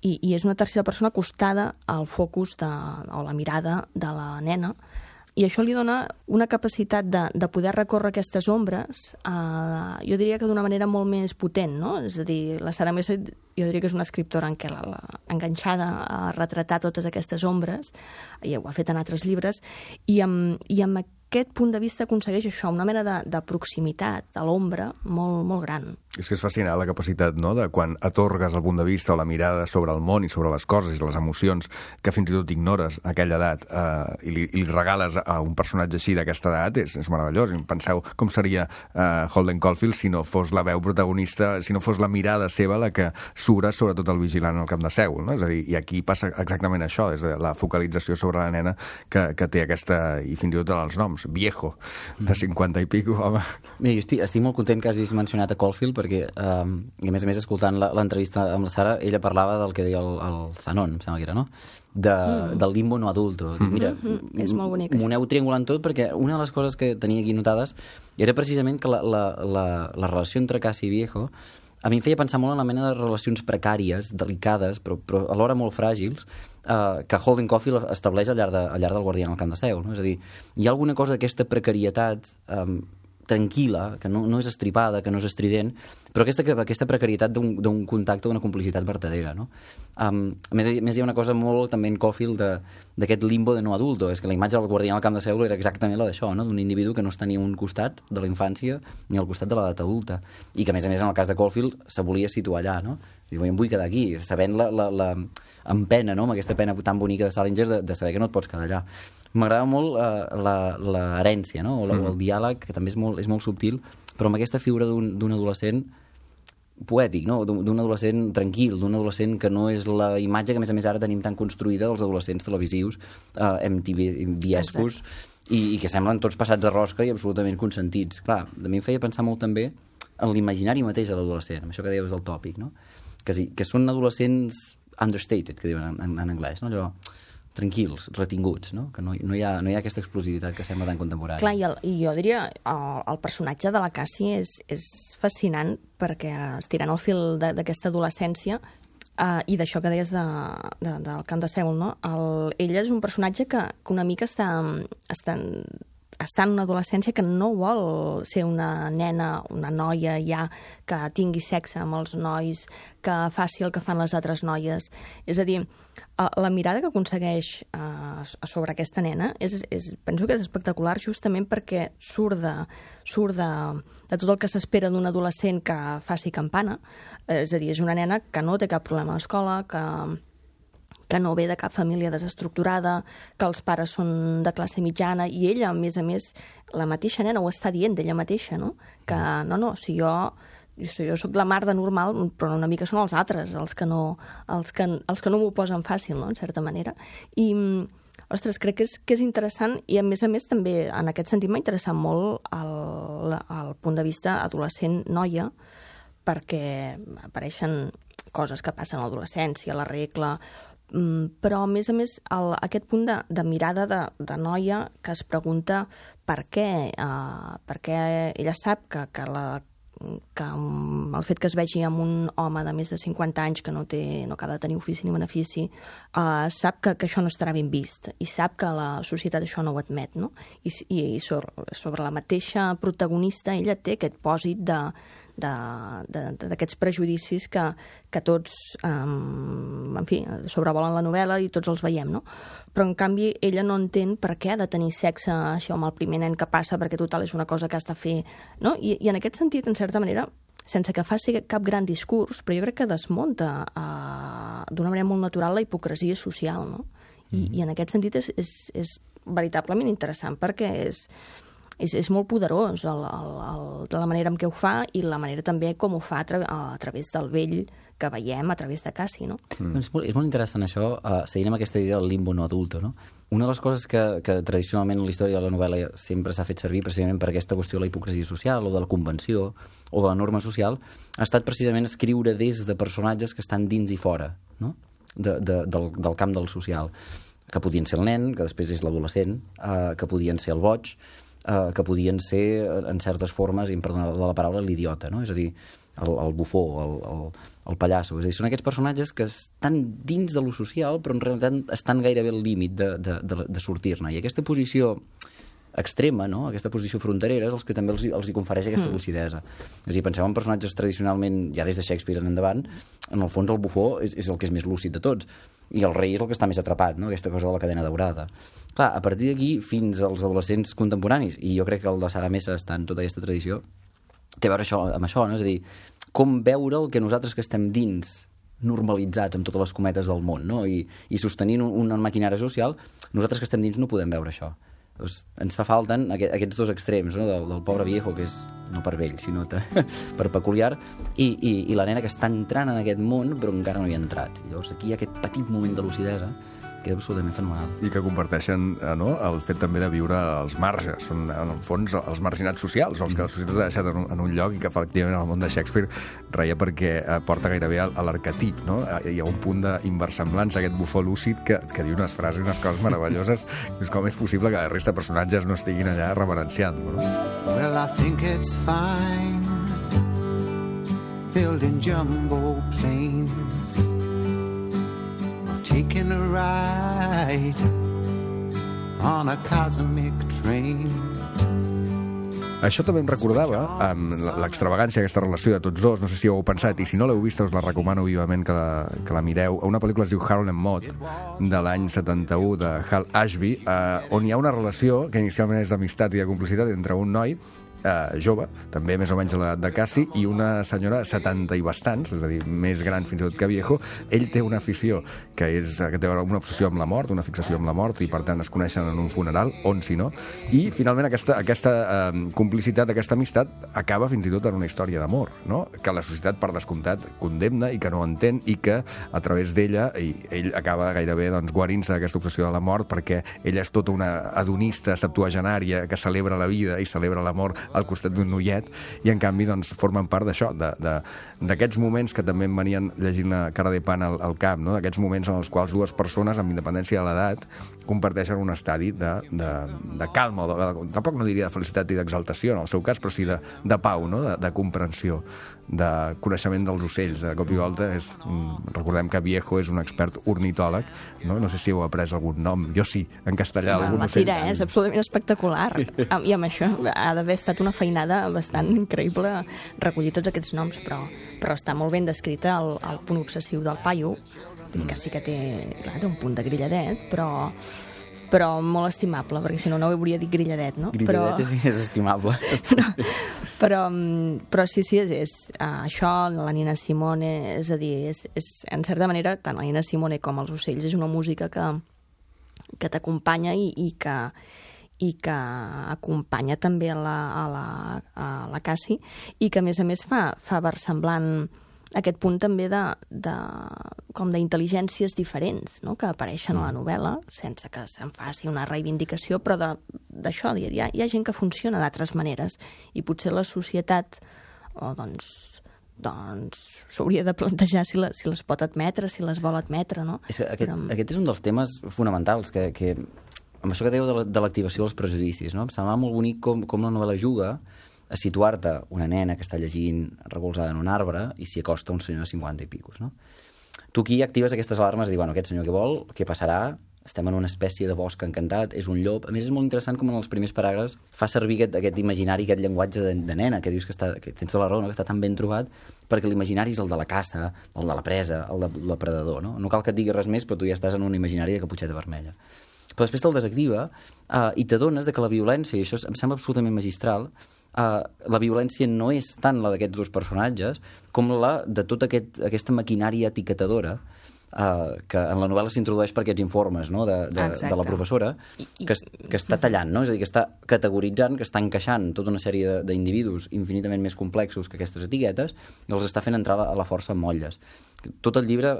i, i és una tercera persona acostada al focus de, o la mirada de la nena, i això li dona una capacitat de, de poder recórrer aquestes ombres, eh, jo diria que d'una manera molt més potent, no? És a dir, la Sara Més, jo diria que és una escriptora en què la, la, enganxada a retratar totes aquestes ombres, i ho ha fet en altres llibres, i amb, i amb aquest punt de vista aconsegueix això, una mena de, de proximitat a l'ombra molt, molt gran. És que és fascinant la capacitat, no?, de quan atorgues el punt de vista o la mirada sobre el món i sobre les coses i les emocions que fins i tot ignores a aquella edat eh, i, li, i li regales a un personatge així d'aquesta edat, és, és meravellós. I penseu com seria eh, Holden Caulfield si no fos la veu protagonista, si no fos la mirada seva la que s'obre sobretot el vigilant al camp de Sègol, no? És a dir, i aquí passa exactament això, és la focalització sobre la nena que, que té aquesta, i fins i tot els noms, Viejo, de cinquanta i pico, home. Mira, jo estic, estic molt content que hagis mencionat a Caulfield, perquè, um, i a més a més, escoltant la- l'entrevista amb la Sara, ella parlava del que deia el, el Zanon, em sembla que era, no? De, mm. Del limbo no adulto. Mm. Mira, Mm-hmm. És molt bonic, m'ho aneu triangulant tot, perquè una de les coses que tenia aquí notades era precisament que la, la, la, la relació entre Cassie i Viejo a mi em feia pensar molt en la mena de relacions precàries, delicades, però, però alhora molt fràgils, eh, que Holden Caulfield estableix al llarg, de, al llarg del Guardià en el camp de Seul. No? És a dir, hi ha alguna cosa d'aquesta precarietat eh, tranquil·la, que no, no és estripada, que no és estrident, però aquesta, aquesta precarietat d'un, d'un contacte, d'una complicitat vertadera. No? Um, a, més, a més, hi ha una cosa molt també en Caulfield d'aquest limbo de no adulto, és que la imatge del Guardià al camp de Seul era exactament la d'això, no? D'un individu que no està ni a un costat de la infància ni al costat de l'edat adulta, i que a més a més en el cas de Caulfield se volia situar allà, no? Diu, em vull quedar aquí, sabent la, la, la amb pena, no? Amb aquesta pena tan bonica de Salinger de, de saber que no et pots quedar allà. M'agrada molt uh, l'herència, no? O, la, mm. o el diàleg, que també és molt, és molt subtil, però amb aquesta figura d'un adolescent poètic, no? D'un adolescent tranquil, d'un adolescent que no és la imatge que a més a més ara tenim tan construïda dels adolescents televisius uh, M T V-escos i, i que semblen tots passats a rosca i absolutament consentits. Clar, a mi em feia pensar molt també en l'imaginari mateix de l'adolescent, amb això que deies del tòpic, no? Que, sí, que són adolescents understated, que diuen en, en, en anglès, no? Allò tranquils, retinguts, no? Que no, no, hi ha, no hi ha aquesta explosivitat que sembla tan contemporània. Clar, i, el, i jo diria el, el personatge de la Cassie és, és fascinant perquè estirant el fil d'aquesta adolescència uh, i d'això que deies de, de, del camp de Seul, no? El, ella és un personatge que, que una mica està, està, està en una adolescència que no vol ser una nena, una noia ja que tingui sexe amb els nois, que faci el que fan les altres noies. És a dir, la mirada que aconsegueix uh, sobre aquesta nena és, és, penso que és espectacular justament perquè surt de, surt de, de tot el que s'espera d'un adolescent que faci campana. És a dir, és una nena que no té cap problema a l'escola, que, que no ve de cap família desestructurada, que els pares són de classe mitjana, i ella, a més a més, la mateixa nena ho està dient d'ella mateixa, no? Que no, no, si jo... Jo, jo soc la mar de normal, però una mica són els altres, els que no, els que, els que no m'ho posen fàcil, no?, en certa manera. I, ostres, crec que és, que és interessant i, a més a més, també, en aquest sentit, m'ha interessat molt el, el punt de vista adolescent-noia, perquè apareixen coses que passen a l'adolescència, la regla, però, a més a més, el, aquest punt de, de mirada de, de noia que es pregunta per què, uh, per què ella sap que, que la que el fet que es vegi amb un home de més de cinquanta anys que no, té, no acaba de tenir ofici ni benefici, uh, sap que, que això no estarà ben vist i sap que la societat això no ho admet, no? I, i, i sobre, sobre la mateixa protagonista ella té aquest pòsit de d'aquests prejudicis que, que tots, um, en fi, sobrevolen la novel·la i tots els veiem, no? Però, en canvi, ella no entén per què ha de tenir sexe això amb el primer nen que passa, perquè total és una cosa que has de fer, no? I, i en aquest sentit, en certa manera, sense que faci cap gran discurs, però jo crec que desmunta uh, d'una manera molt natural la hipocresia social, no? I, mm. i en aquest sentit és, és, és veritablement interessant perquè és... És, és molt poderós el, el, el, la manera en què ho fa i la manera també com ho fa a, tra a través del vell que veiem a través de Cassie, no? Mm. És, molt, és molt interessant això, uh, seguint amb aquesta idea del limbo no adulto, no? Una de les coses que, que tradicionalment en la història de la novel·la sempre s'ha fet servir precisament per aquesta qüestió de la hipocresia social o de la convenció o de la norma social ha estat precisament escriure des de personatges que estan dins i fora, no? de, de, del, del camp del social, que podien ser el nen, que després és l'adolescent, uh, que podien ser el boig, Uh, que podien ser, en certes formes, i em perdona la paraula, l'idiota, no? És a dir, el, el bufó, el, el, el pallasso. És a dir, són aquests personatges que estan dins de lo social, però en realitat estan gairebé al límit de, de, de, de sortir-ne. I aquesta posició extrema, no? Aquesta posició fronterera és els que també els, els hi confereix aquesta mm. lucidesa. És a dir, penseu en personatges tradicionalment, ja des de Shakespeare en endavant, en el fons el bufó és, és el que és més lúcid de tots, i el rei és el que està més atrapat, no? Aquesta cosa de la cadena daurada. Clar, a partir d'aquí, fins als adolescents contemporanis, i jo crec que el de Sara Mesa està en tota aquesta tradició, té a veure això, amb això, no? És a dir, com veure el que nosaltres que estem dins, normalitzats amb totes les cometes del món, no? I, i sostenint un, una maquinària social, nosaltres que estem dins no podem veure això. Doncs ens fa falta aquest, aquests dos extrems, no? del, del pobre viejo, que és no per vell, sinó te, per peculiar, i, i, i la nena que està entrant en aquest món però encara no hi ha entrat. I llavors aquí hi ha aquest petit moment de lucidesa que és absolutament fenomenal. I que comparteixen eh, no? el fet també de viure als marges. Són, en el fons, els marginats socials, els que la societat ha deixat en un, en un lloc i que, efectivament, en el món de Shakespeare reia perquè eh, porta gairebé a, a l'arquetip, no? Hi ha un punt d'inversemblança, aquest bufó lúcid que, que diu unes frases, unes coses meravelloses. És com és possible que la resta de personatges no estiguin allà reverenciant-lo, no? Well, I think it's fine building jumbo planes or taking a ride on a cosmic train. Això també em recordava amb l'extravagància d'aquesta relació de tots dos, no sé si ho heu pensat, i si no l'heu vista us la recomano vivament que la, que la mireu. Una pel·lícula es diu Harold and Maude, de l'any setanta-u, de Hal Ashby, eh, on hi ha una relació que inicialment és d'amistat i de complicitat entre un noi eh, jove, també més o menys a l'edat de Cassi, i una senyora setanta i bastants, és a dir, més gran fins i tot que Viejo. Ell té una afició que, és, que té una obsessió amb la mort, una fixació amb la mort, i per tant es coneixen en un funeral, on si no, i finalment aquesta, aquesta eh, complicitat, aquesta amistat acaba fins i tot en una història d'amor, no? Que la societat, per descomptat, condemna i que no entén, i que a través d'ella ell acaba gairebé doncs, guarint-se d'aquesta obsessió de la mort, perquè ella és tota una hedonista septuagenària que celebra la vida i celebra la mort al costat d'un noiet, i en canvi doncs, formen part d'això, d'aquests moments que també em venien llegint la Cara de Pan al, al camp, no? D'aquests moments en els quals dues persones, amb independència de l'edat, comparteixen un estadi de, de, de calma, de, de, tampoc no diria de felicitat i d'exaltació en el seu cas, però sí de, de pau, no? de, de comprensió, de coneixement dels ocells. De cop i volta és, recordem que Viejo és un expert ornitòleg, no? No sé si heu après algun nom, jo sí, en castellà. La, algun la ocell. tira eh? És absolutament espectacular. I amb això ha d'haver estat una feinada bastant increïble recollir tots aquests noms, però, però està molt ben descrita el, el punt obsessiu del paio, que sí que té, clar, té un punt de grilladet, però però molt estimable, perquè si no, no ho hauria dit grilladet, no? Grilladet però... és, és estimable. però, però, però sí, sí, és, és uh, això, la Nina Simone, és a dir, és, és, en certa manera, tant la Nina Simone com els ocells és una música que, que t'acompanya i, i que i que acompanya també a la, a la, a la Cassi, i que a més a més fa, fa versemblant aquest punt també de, de, com d'intel·ligències diferents, no? Que apareixen a la novel·la, sense que se'n faci una reivindicació, però d'això, hi, ha, hi ha gent que funciona d'altres maneres, i potser la societat oh, doncs, doncs s'hauria de plantejar si, la, si les pot admetre, si les vol admetre, no? És que aquest, però... aquest és un dels temes fonamentals que, que amb això que dèieu de l'activació dels prejudicis, no? Em semblava molt bonic com, com la novel·la juga a situar-te una nena que està llegint recolzada en un arbre i s'hi acosta un senyor de cinquanta i picos, no? Tu aquí actives aquestes alarmes de dir, bueno, aquest senyor què vol, què passarà, estem en una espècie de bosc encantat, és un llop. A més, és molt interessant com en els primers paràgrafs fa servir aquest, aquest imaginari, aquest llenguatge de, de nena, que dius que, està, que tens tota la raó, no? Que està tan ben trobat, perquè l'imaginari és el de la caça, el de la presa, el de la predador, no? No cal que et digui res més, però tu ja estàs en un imaginari de caputxeta vermella. Però després te'l desactiva uh, i t'adones de que la violència, i això em sembla absolutament magistral, uh, la violència no és tant la d'aquests dos personatges com la de tota aquest, aquesta maquinària etiquetadora uh, que en la novel·la s'introdueix per aquests informes, no? de, de, de la professora, que, que està tallant, no? És a dir, que està categoritzant, que està encaixant tota una sèrie d'individus infinitament més complexos que aquestes etiquetes i els està fent entrar a la força en motlles. Tot el llibre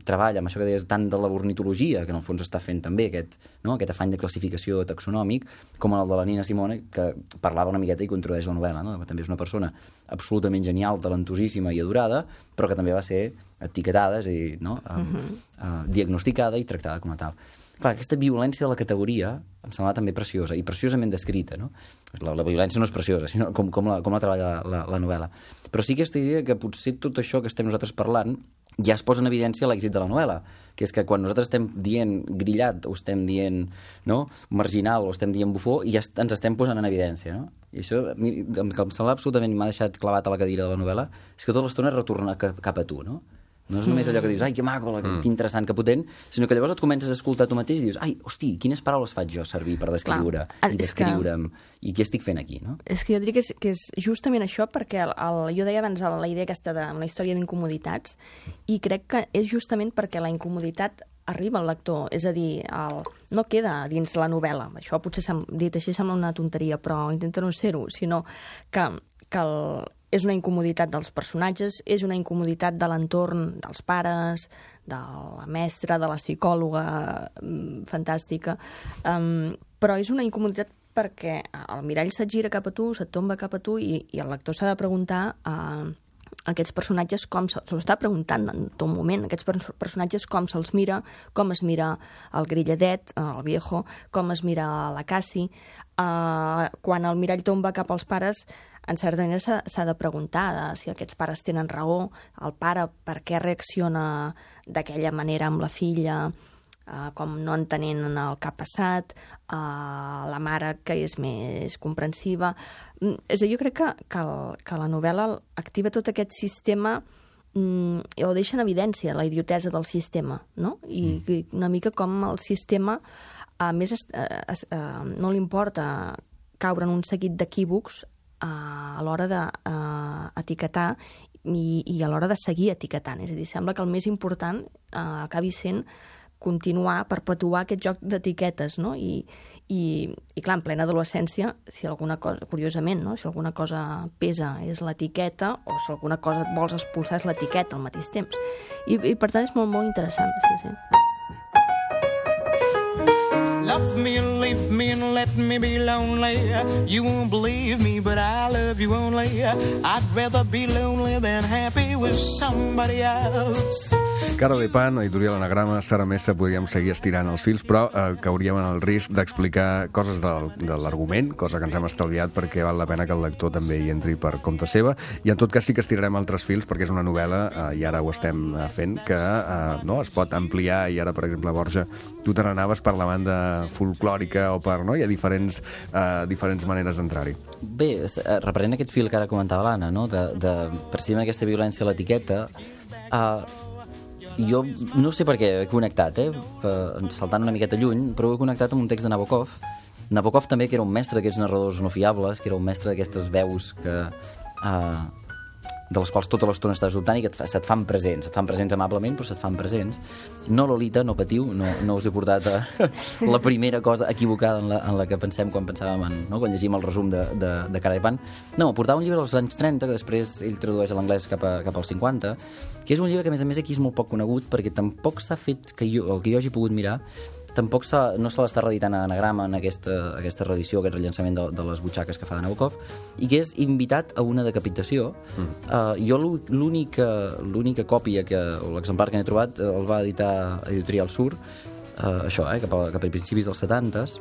treballa amb això que deies tant de la ornitologia, que en el fons està fent també aquest, no? Aquest afany de classificació taxonòmic, com el de la Nina Simone, que parlava una miqueta i que introdueix la novel·la, no? També és una persona absolutament genial, talentosíssima i adorada, però que també va ser etiquetada, és a dir, no? uh, uh, uh, diagnosticada i tractada com a tal. Clar, aquesta violència de la categoria em semblava també preciosa, i preciosament descrita, no? La, la violència no és preciosa, sinó com, com, la, com la treballa la, la, la novel·la. Però sí aquesta idea que potser tot això que estem nosaltres parlant ja es posa en evidència l'èxit de la novel·la, que és que quan nosaltres estem dient grillat, o estem dient, no? Marginal, o estem dient bufó, i ja ens estem posant en evidència, no? I això, el que em sembla absolutament, m'ha deixat clavat a la cadira de la novel·la, és que tota l'estona retorna cap a tu, no? No és només allò que dius, ai, que maco, mm. que interessant, que potent, sinó que llavors et comences a escoltar tu mateix i dius, ai, hosti, quines paraules faig jo servir per descriure Clar, i descriure'm, que... i què estic fent aquí, no? És que jo diria que és, que és justament això, perquè el, el, jo deia abans la idea aquesta de la història d'incomoditats, i crec que és justament perquè la incomoditat arriba al lector, és a dir, el, no queda dins la novel·la, això potser dit així sembla una tonteria, però intenta no ser-ho, sinó que, que el, és una incomoditat dels personatges, és una incomoditat de l'entorn dels pares, de la mestra, de la psicòloga mm, fantàstica, um, però és una incomoditat perquè el mirall se't gira cap a tu, se't tomba cap a tu i, i el lector s'ha de preguntar uh, aquests personatges com se, se està preguntant en tot moment, aquests personatges com se'ls mira, com es mira el grilladet, el viejo, com es mira la Cassie. Uh, quan el mirall tomba cap als pares, en certa manera s'ha de preguntar de si aquests pares tenen raó, el pare per què reacciona d'aquella manera amb la filla, uh, com no entenent el que ha passat, uh, la mare que és més comprensiva. És a dir, jo crec que, que, el, que la novel·la activa tot aquest sistema mm, o deixa en evidència la idiotesa del sistema, no? I, mm. i una mica com el sistema a més es, es, uh, no li importa caure en un seguit d'equívocs uh, a l'hora d'etiquetar uh, i, i a l'hora de seguir etiquetant. És a dir, sembla que el més important uh, acabi sent continuar, perpetuar aquest joc d'etiquetes, no? I, i, i clar, en plena adolescència, si alguna cosa, curiosament, no? Si alguna cosa pesa és l'etiqueta, o si alguna cosa et vols expulsar és l'etiqueta al mateix temps. I, i per tant és molt, molt interessant, sí, sí. Love me and leave me and let me be lonely. You won't believe me, but I love you only. I'd rather be lonely than happy with somebody else. Cara de Pan, editorial Anagrama, Sara Mesa, podríem seguir estirant els fils, però eh, cauríem en el risc d'explicar coses del, de l'argument, cosa que ens hem estalviat perquè val la pena que el lector també hi entri per compte seva, i en tot cas sí que estirarem altres fils perquè és una novel·la, eh, i ara ho estem fent, que eh, no, es pot ampliar, i ara, per exemple, Borja, tu te n'anaves per la banda folclòrica o per... No? Hi ha diferents, eh, diferents maneres d'entrar-hi. Bé, reprenent aquest fil que ara comentava l'Anna, no? de, de precisament aquesta violència a l'etiqueta, eh, jo no sé per què he connectat, eh? saltant una miqueta lluny, però he connectat amb un text de Nabokov. Nabokov també, que era un mestre d'aquests narradors no fiables, que era un mestre d'aquestes veus que, uh, de les quals tota l'estona estàs dubtant i que et fa, se't fan presents, se't fan presents amablement, però se't fan presents. No, Lolita, no patiu, no, no us he portat a la primera cosa equivocada en la, en la que pensem quan pensàvem en, no? quan llegim el resum de, de, de Cara de Pan. No, portava un llibre als anys trenta, que després ell tradueix a l'anglès cap, a, cap als cinquanta, que és un llibre que, a més a més, aquí és molt poc conegut, perquè tampoc s'ha fet, que jo, el que jo hagi pogut mirar, tampoc no se l'està reeditant a Anagrama en aquesta, aquesta reedició, aquest rellançament de, de les butxaques que fa de Nabokov, i que és invitat a una decapitació. Mm. Uh, jo l'única l'única còpia, que, o l'exemplar que n'he trobat, el va editar Editorial Sur, uh, això, eh, cap, a, cap a principis dels setantes,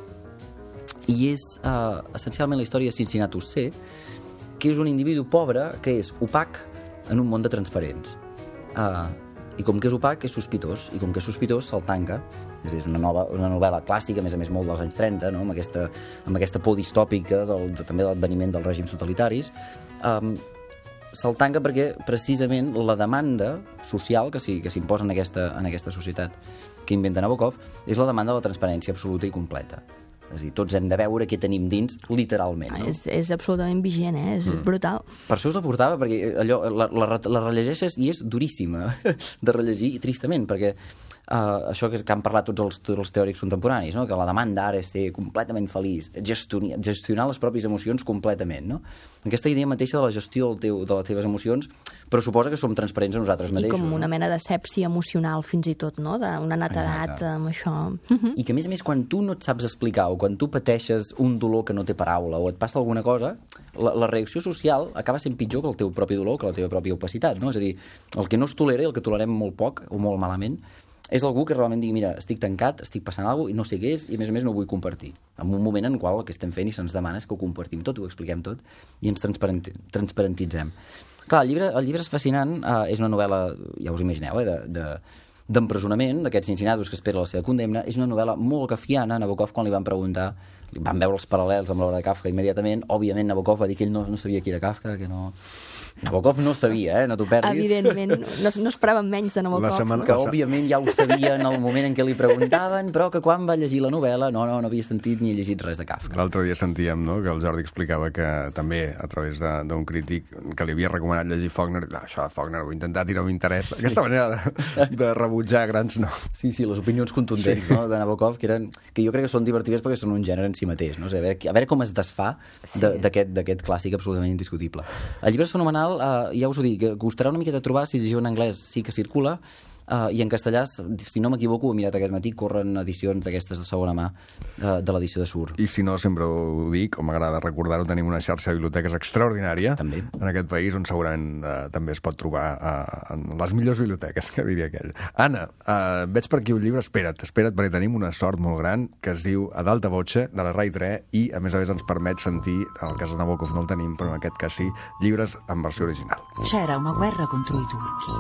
i és uh, essencialment la història de Cincinnatus C, que és un individu pobre que és opac en un món de transparents. Uh, i com que és opac és sospitós, i com que és sospitós se'l tanca. És a dir, és una, nova, una novel·la clàssica, a més a més molt dels anys trenta, no? amb, aquesta, amb aquesta por distòpica del, de, també de l'adveniment dels règims totalitaris. Um, se'l tanca perquè precisament la demanda social que s'imposa en, aquesta, en aquesta societat que inventa Nabokov és la demanda de la transparència absoluta i completa. És a dir, tots hem de veure què tenim dins, literalment. No? És, és absolutament vigent, eh? És mm. brutal. Per això us la portava, perquè allò, la, la, la rellegeixes i és duríssima de rellegir, i tristament, perquè uh, això que, que han parlat tots els, tots els teòrics contemporanis, no? Que la demanda ara és ser completament feliç, gestionar, gestionar les pròpies emocions completament. No? Aquesta idea mateixa de la gestió del teu, de les teves emocions pressuposa que som transparents a nosaltres mateixos. I com una no? mena de sepsi emocional, fins i tot, no? D'una netedat. Exacte. Amb això. I que, a més a més, quan tu no et saps explicar, o quan tu pateixes un dolor que no té paraula, o et passa alguna cosa, la, la reacció social acaba sent pitjor que el teu propi dolor, que la teva pròpia opacitat, no? És a dir, el que no es tolera i el que tolerem molt poc, o molt malament, és algú que realment digui, mira, estic tancat, estic passant alguna cosa i no sé què és, i a més a més no ho vull compartir. En un moment en el qual el que estem fent i se'ns demana és que ho compartim tot, ho expliquem tot, i ens transparenti transparentitzem. Clar, el llibre, el llibre és fascinant, eh, és una novel·la, ja us imagineu, eh, de... de d'empresonament, d'aquests Cincinnatus que espera la seva condemna. És una novel·la molt kafkiana. Nabokov, quan li van preguntar, li van veure els paral·lels amb l'obra de Kafka immediatament. Òbviament, Nabokov va dir que ell no, no sabia qui era Kafka, que no, Nabokov no ho sabia, eh? No t'ho perdis. Evidentment, no, no esperàvem menys de Nabokov. La setmana- Que, òbviament, ja ho sabia en el moment en què li preguntaven, però que quan va llegir la novel·la no, no, no havia sentit ni llegit res de Kafka. L'altre dia sentíem, no?, que el Jordi explicava que també, a través de- d'un crític que li havia recomanat llegir Faulkner, no, això de Faulkner ho he intentat i no m'interessa. Sí. Aquesta manera de, de rebutjar grans noms. Sí, sí, les opinions contundents, sí, no?, de Nabokov, que, eren, que jo crec que són divertides perquè són un gènere en si mateix, no? O sigui, a, veure, a veure com es desfà d'aquest d'aquest clàssic absolutament indiscutible. El llibre és fenomenal, eh, ja us ho dic, costarà una miqueta trobar, si llegiu en anglès sí que circula, Uh, i en castellà, si no m'equivoco, ho he mirat aquest matí, corren edicions d'aquestes de segona mà uh, de l'edició de Sur. I si no, sempre ho dic, o m'agrada recordar-ho, tenim una xarxa de biblioteques extraordinària També. en aquest país, on segurament uh, també es pot trobar uh, en les millors biblioteques, que diria aquell. Anna, uh, veig per aquí un llibre, espera't, espera't, perquè tenim una sort molt gran, que es diu Ad alta voce, de la Rai tres, i a més a més ens permet sentir, en el cas de Nabokov no el tenim, però en aquest cas sí, llibres en versió original. C'era una guerra contro i turchi.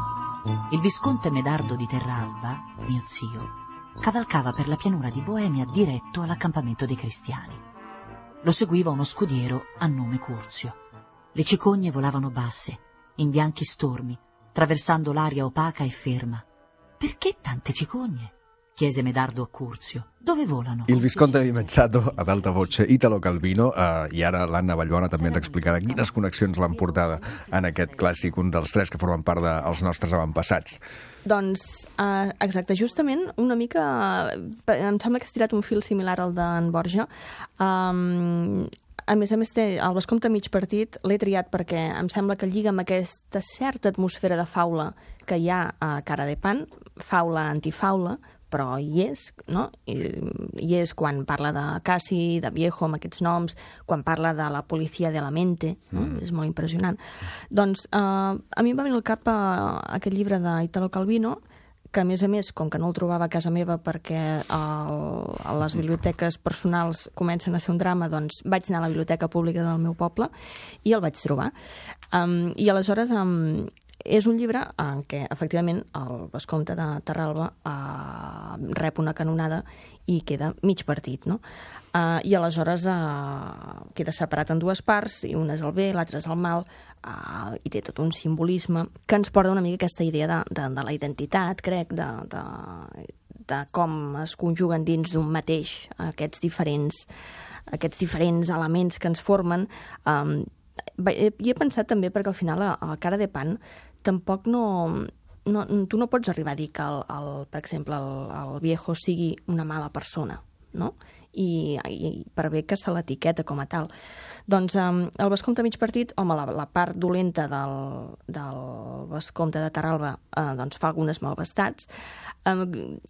Il visconte Medardo di Terralba, mio zio, cavalcava per la pianura di Boemia diretto all'accampamento dei cristiani. Lo seguiva uno scudiero a nome Curzio. Le cicogne volavano basse, in bianchi stormi, traversando l'aria opaca e ferma. Perché tante cicogne? Chiese Medardo a Curzio. Dove volano? Il Visconte di Mezzato, ad alta voce, Italo Calvino, eh, i ara l'Anna Vallbona també ens explicarà quines connexions l'han portada en aquest clàssic, un dels tres que formen part dels nostres avantpassats. Doncs, eh, exacte, justament una mica... eh, Em sembla que has tirat un fil similar al d'en Borja. Um, a més a més, té el Vescomte mig partit, l'he triat perquè em sembla que lliga amb aquesta certa atmosfera de faula que hi ha a Cara de Pan, faula antifaula, però hi és, no? I, hi és quan parla de Cassi, de Viejo, amb aquests noms, quan parla de la policia de la mente, no? Mm. És molt impressionant. Doncs eh, a mi em va venir al cap uh, aquest llibre d'Italo Calvino, que a més a més, com que no el trobava a casa meva perquè el, les biblioteques personals comencen a ser un drama, doncs vaig anar a la biblioteca pública del meu poble i el vaig trobar. Um, I aleshores... Um, és un llibre en què, efectivament, el Vescomte de Terralba eh, rep una canonada i queda mig partit, no? Eh, I aleshores eh, queda separat en dues parts, i una és el bé, l'altra és el mal, eh, i té tot un simbolisme que ens porta una mica aquesta idea de, de, de la identitat, crec, de, de, de com es conjuguen dins d'un mateix aquests diferents, aquests diferents elements que ens formen. Eh, I he pensat també perquè al final a, a Cara de Pan tampoc no, no... Tu no pots arribar a dir que, el, el, per exemple, el, el Viejo sigui una mala persona, no? I, i per bé que se l'etiqueta com a tal. Doncs um, el Vescomte mig partit, home, la, la part dolenta del, del Vescomte de Terralba eh, doncs fa algunes malvestats, um,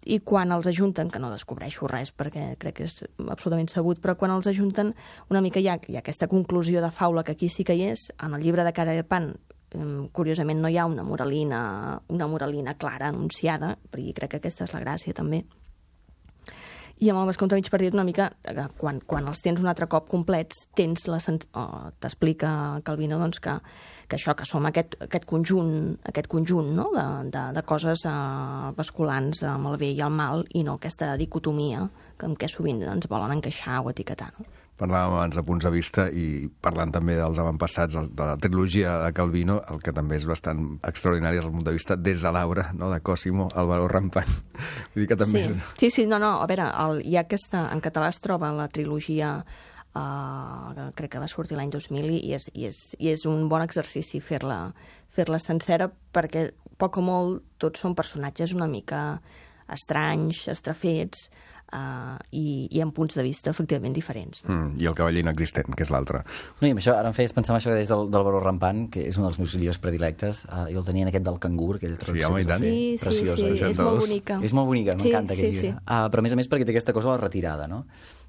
i quan els ajunten, que no descobreixo res perquè crec que és absolutament sabut, però quan els ajunten una mica hi ha, hi ha aquesta conclusió de faula que aquí sí que hi és. En el llibre de Cara de Pan, um, curiosament no hi ha una moralina, una moralina clara, anunciada, perquè crec que aquesta és la gràcia també. I amb el Vescomte mig partit una mica, quan, quan els tens un altre cop complets, tens la oh, t'explica Calvino doncs, que, que això, que som aquest, aquest conjunt, aquest conjunt no? de, de, de coses eh, basculants amb el bé i el mal, i no aquesta dicotomia que, en què sovint ens volen encaixar o etiquetar. No? Parlàvem abans de punts de vista i parlant també dels avantpassats de la trilogia de Calvino, el que també és bastant extraordinari des del punt de vista des de l'Aura, no? De Cosimo, el valor rampant. Vull dir que també sí. és... sí, sí, no, no, a veure, el, hi ha aquesta, en català es troba la trilogia, uh, crec que va sortir l'any dos mil, i és, i, és, i és un bon exercici fer-la fer-la sencera, perquè poc o molt tots són personatges una mica estranys, estrafets, Uh, i, i amb punts de vista efectivament diferents. Mm, I el cavaller inexistent, que és l'altre. No, i amb això, ara em feies pensar en això que deies del, del Baró Rampant, que és un dels meus llibres predilectes. Uh, jo el tenia en aquest del cangur, aquell sí, home, i tant. Sí, sí, preciosa. sí, és molt bonica. És molt bonica, m'encanta sí, aquest sí, llibre. sí. Uh, però a més a més perquè té aquesta cosa de la retirada, no?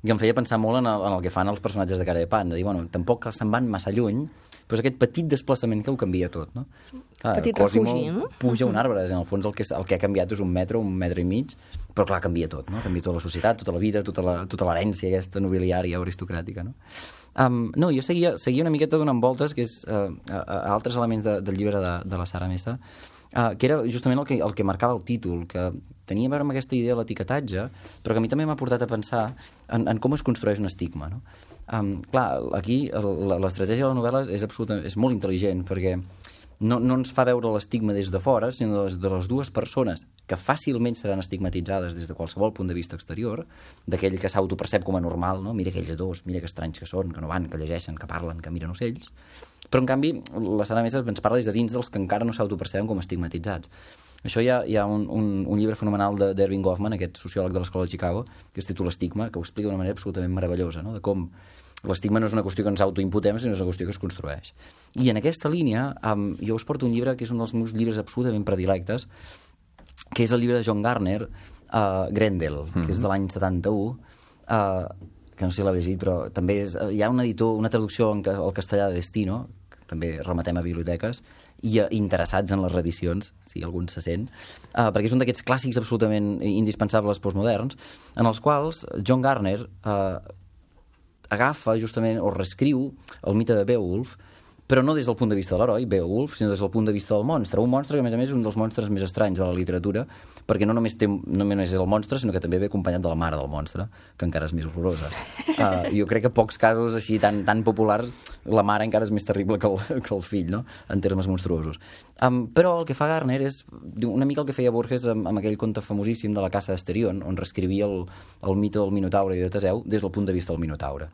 I em feia pensar molt en el, en el que fan els personatges de Cara de Pan, de dir, bueno, tampoc se'n van massa lluny, però és aquest petit desplaçament que ho canvia tot, no? Clar, petit Cosimo refugi, no? puja un arbre, en el fons el que, el que ha canviat és un metre, un metre i mig, però clar, canvia tot, no? Canvia tota la societat, tota la vida, tota la, tota l'herència aquesta nobiliària o aristocràtica, no? Um, no, jo seguia, seguia una miqueta donant voltes, que és uh, a, a altres elements de, del llibre de, de la Sara Mesa, uh, que era justament el que, el que marcava el títol, que tenia a veure amb aquesta idea de l'etiquetatge, però que a mi també m'ha portat a pensar en, en com es construeix un estigma, no? Um, clar, aquí l'estratègia de la novel·la és, absolutament, és molt intel·ligent, perquè no, no ens fa veure l'estigma des de fora, sinó de les, de les dues persones que fàcilment seran estigmatitzades des de qualsevol punt de vista exterior, d'aquell que s'autopercep com a normal, no? Mira aquells dos, mira que estranys que són, que no van, que llegeixen, que parlen, que miren ocells. Però, en canvi, la Sara Mesa ens parla des de dins dels que encara no s'autoperceben com estigmatitzats. Això hi ha, hi ha un, un, un llibre fenomenal d'Erving Goffman, aquest sociòleg de l'Escola de Chicago, que es titula Estigma, que ho explica d'una manera absolutament meravellosa, no? De com l'estigma no és una qüestió que ens autoimputem, sinó és una qüestió que es construeix. I en aquesta línia, um, jo us porto un llibre que és un dels meus llibres absolutament predilectes, que és el llibre de John Garner, uh, Grendel, mm-hmm. que és de l'any setanta-u, uh, que no sé si l'ha llegit, però també és, hi ha un editor, una traducció en, al castellà de Destino, que també rematem a biblioteques, i uh, interessats en les reedicions, si algun se sent, uh, perquè és un d'aquests clàssics absolutament indispensables postmoderns, en els quals John Garner uh, agafa justament o reescriu el mite de Beowulf, però no des del punt de vista de l'heroi, Beowulf, sinó des del punt de vista del monstre. Un monstre que, a més a més, és un dels monstres més estranys de la literatura, perquè no només, té, no només és el monstre, sinó que també ve acompanyat de la mare del monstre, que encara és més horrorosa. Uh, jo crec que pocs casos així tan, tan populars, la mare encara és més terrible que el, que el fill, no?, en termes monstruosos. Um, però el que fa Garner és una mica el que feia Borges amb, amb aquell conte famosíssim de la caça d'Asterion, on reescrivia el, el mite del Minotaure i de Teseu des del punt de vista del Minotaure.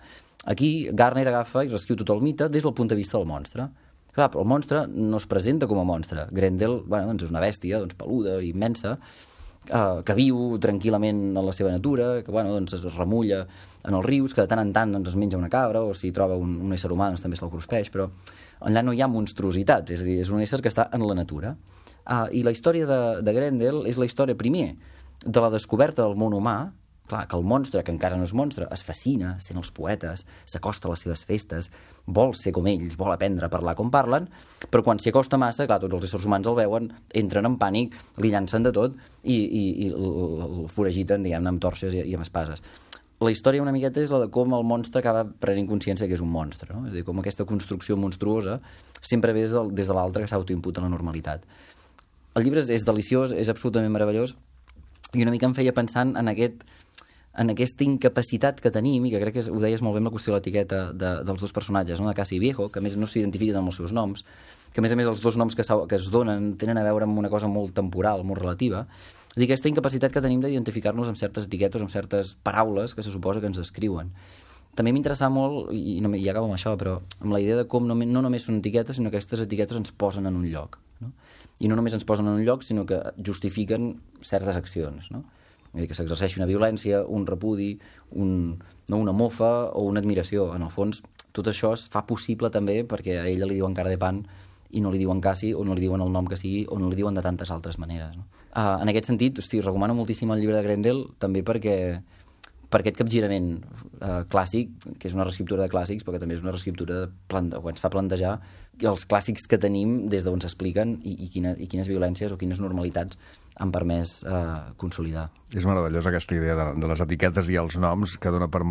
Aquí Garner agafa i reescriu tot el mite des del punt de vista del monstre. Clar, però el monstre no es presenta com a monstre. Grendel, bueno, doncs és una bèstia, doncs, peluda, immensa, eh, que viu tranquil·lament en la seva natura, que bueno, doncs, es remulla en els rius, que de tant en tant doncs, es menja una cabra, o si troba un, un ésser humà doncs, també se'l cruspeix, però allà no hi ha monstruositat, és a dir, és un ésser que està en la natura. Uh, I la història de, de Grendel és la història, primer, de la descoberta del món humà. Clar, que el monstre, que encara no és monstre, es fascina sent els poetes, s'acosta a les seves festes, vol ser com ells, vol aprendre a parlar com parlen, però quan s'hi acosta massa, clar, tots els éssers humans el veuen, entren en pànic, li llancen de tot i, i, i el foragiten, diguem-ne, amb torxes i, i amb espases. La història una miqueta és la de com el monstre acaba prenent consciència que és un monstre, no? És a dir, com aquesta construcció monstruosa sempre ve des de, des de l'altre que s'autoimputa la normalitat. El llibre és, és deliciós, és absolutament meravellós, i una mica em feia pensant en aquest en aquesta incapacitat que tenim, i que crec que ho deies molt bé amb la qüestió de l'etiqueta de, dels dos personatges, no? De Cassi i Viejo, que a més no s'identifiquen amb els seus noms, que a més a més els dos noms que, que es donen tenen a veure amb una cosa molt temporal, molt relativa. És dir, aquesta incapacitat que tenim d'identificar-nos amb certes etiquetes, amb certes paraules que se suposa que ens descriuen. També m'interessa molt, i, no, i acabo amb això, però amb la idea de com no, no només són etiquetes, sinó que aquestes etiquetes ens posen en un lloc, no? I no només ens posen en un lloc, sinó que justifiquen certes accions, no? Que s'exerceixi una violència, un repudi, un, no, una mofa o una admiració. En el fons, tot això es fa possible també perquè a ella li diuen cara de pan i no li diuen Cassi, o no li diuen el nom que sigui, o no li diuen de tantes altres maneres, no? Uh, en aquest sentit, hosti, recomano moltíssim el llibre de Grendel, també perquè per aquest capgirament uh, clàssic, que és una reescriptura de clàssics, però que també és una reescriptura de plante... o ens fa plantejar els clàssics que tenim des d'on s'expliquen i, i, quina, i quines violències o quines normalitats han permès eh, consolidar. És meravellosa aquesta idea de, de les etiquetes i els noms que dona per,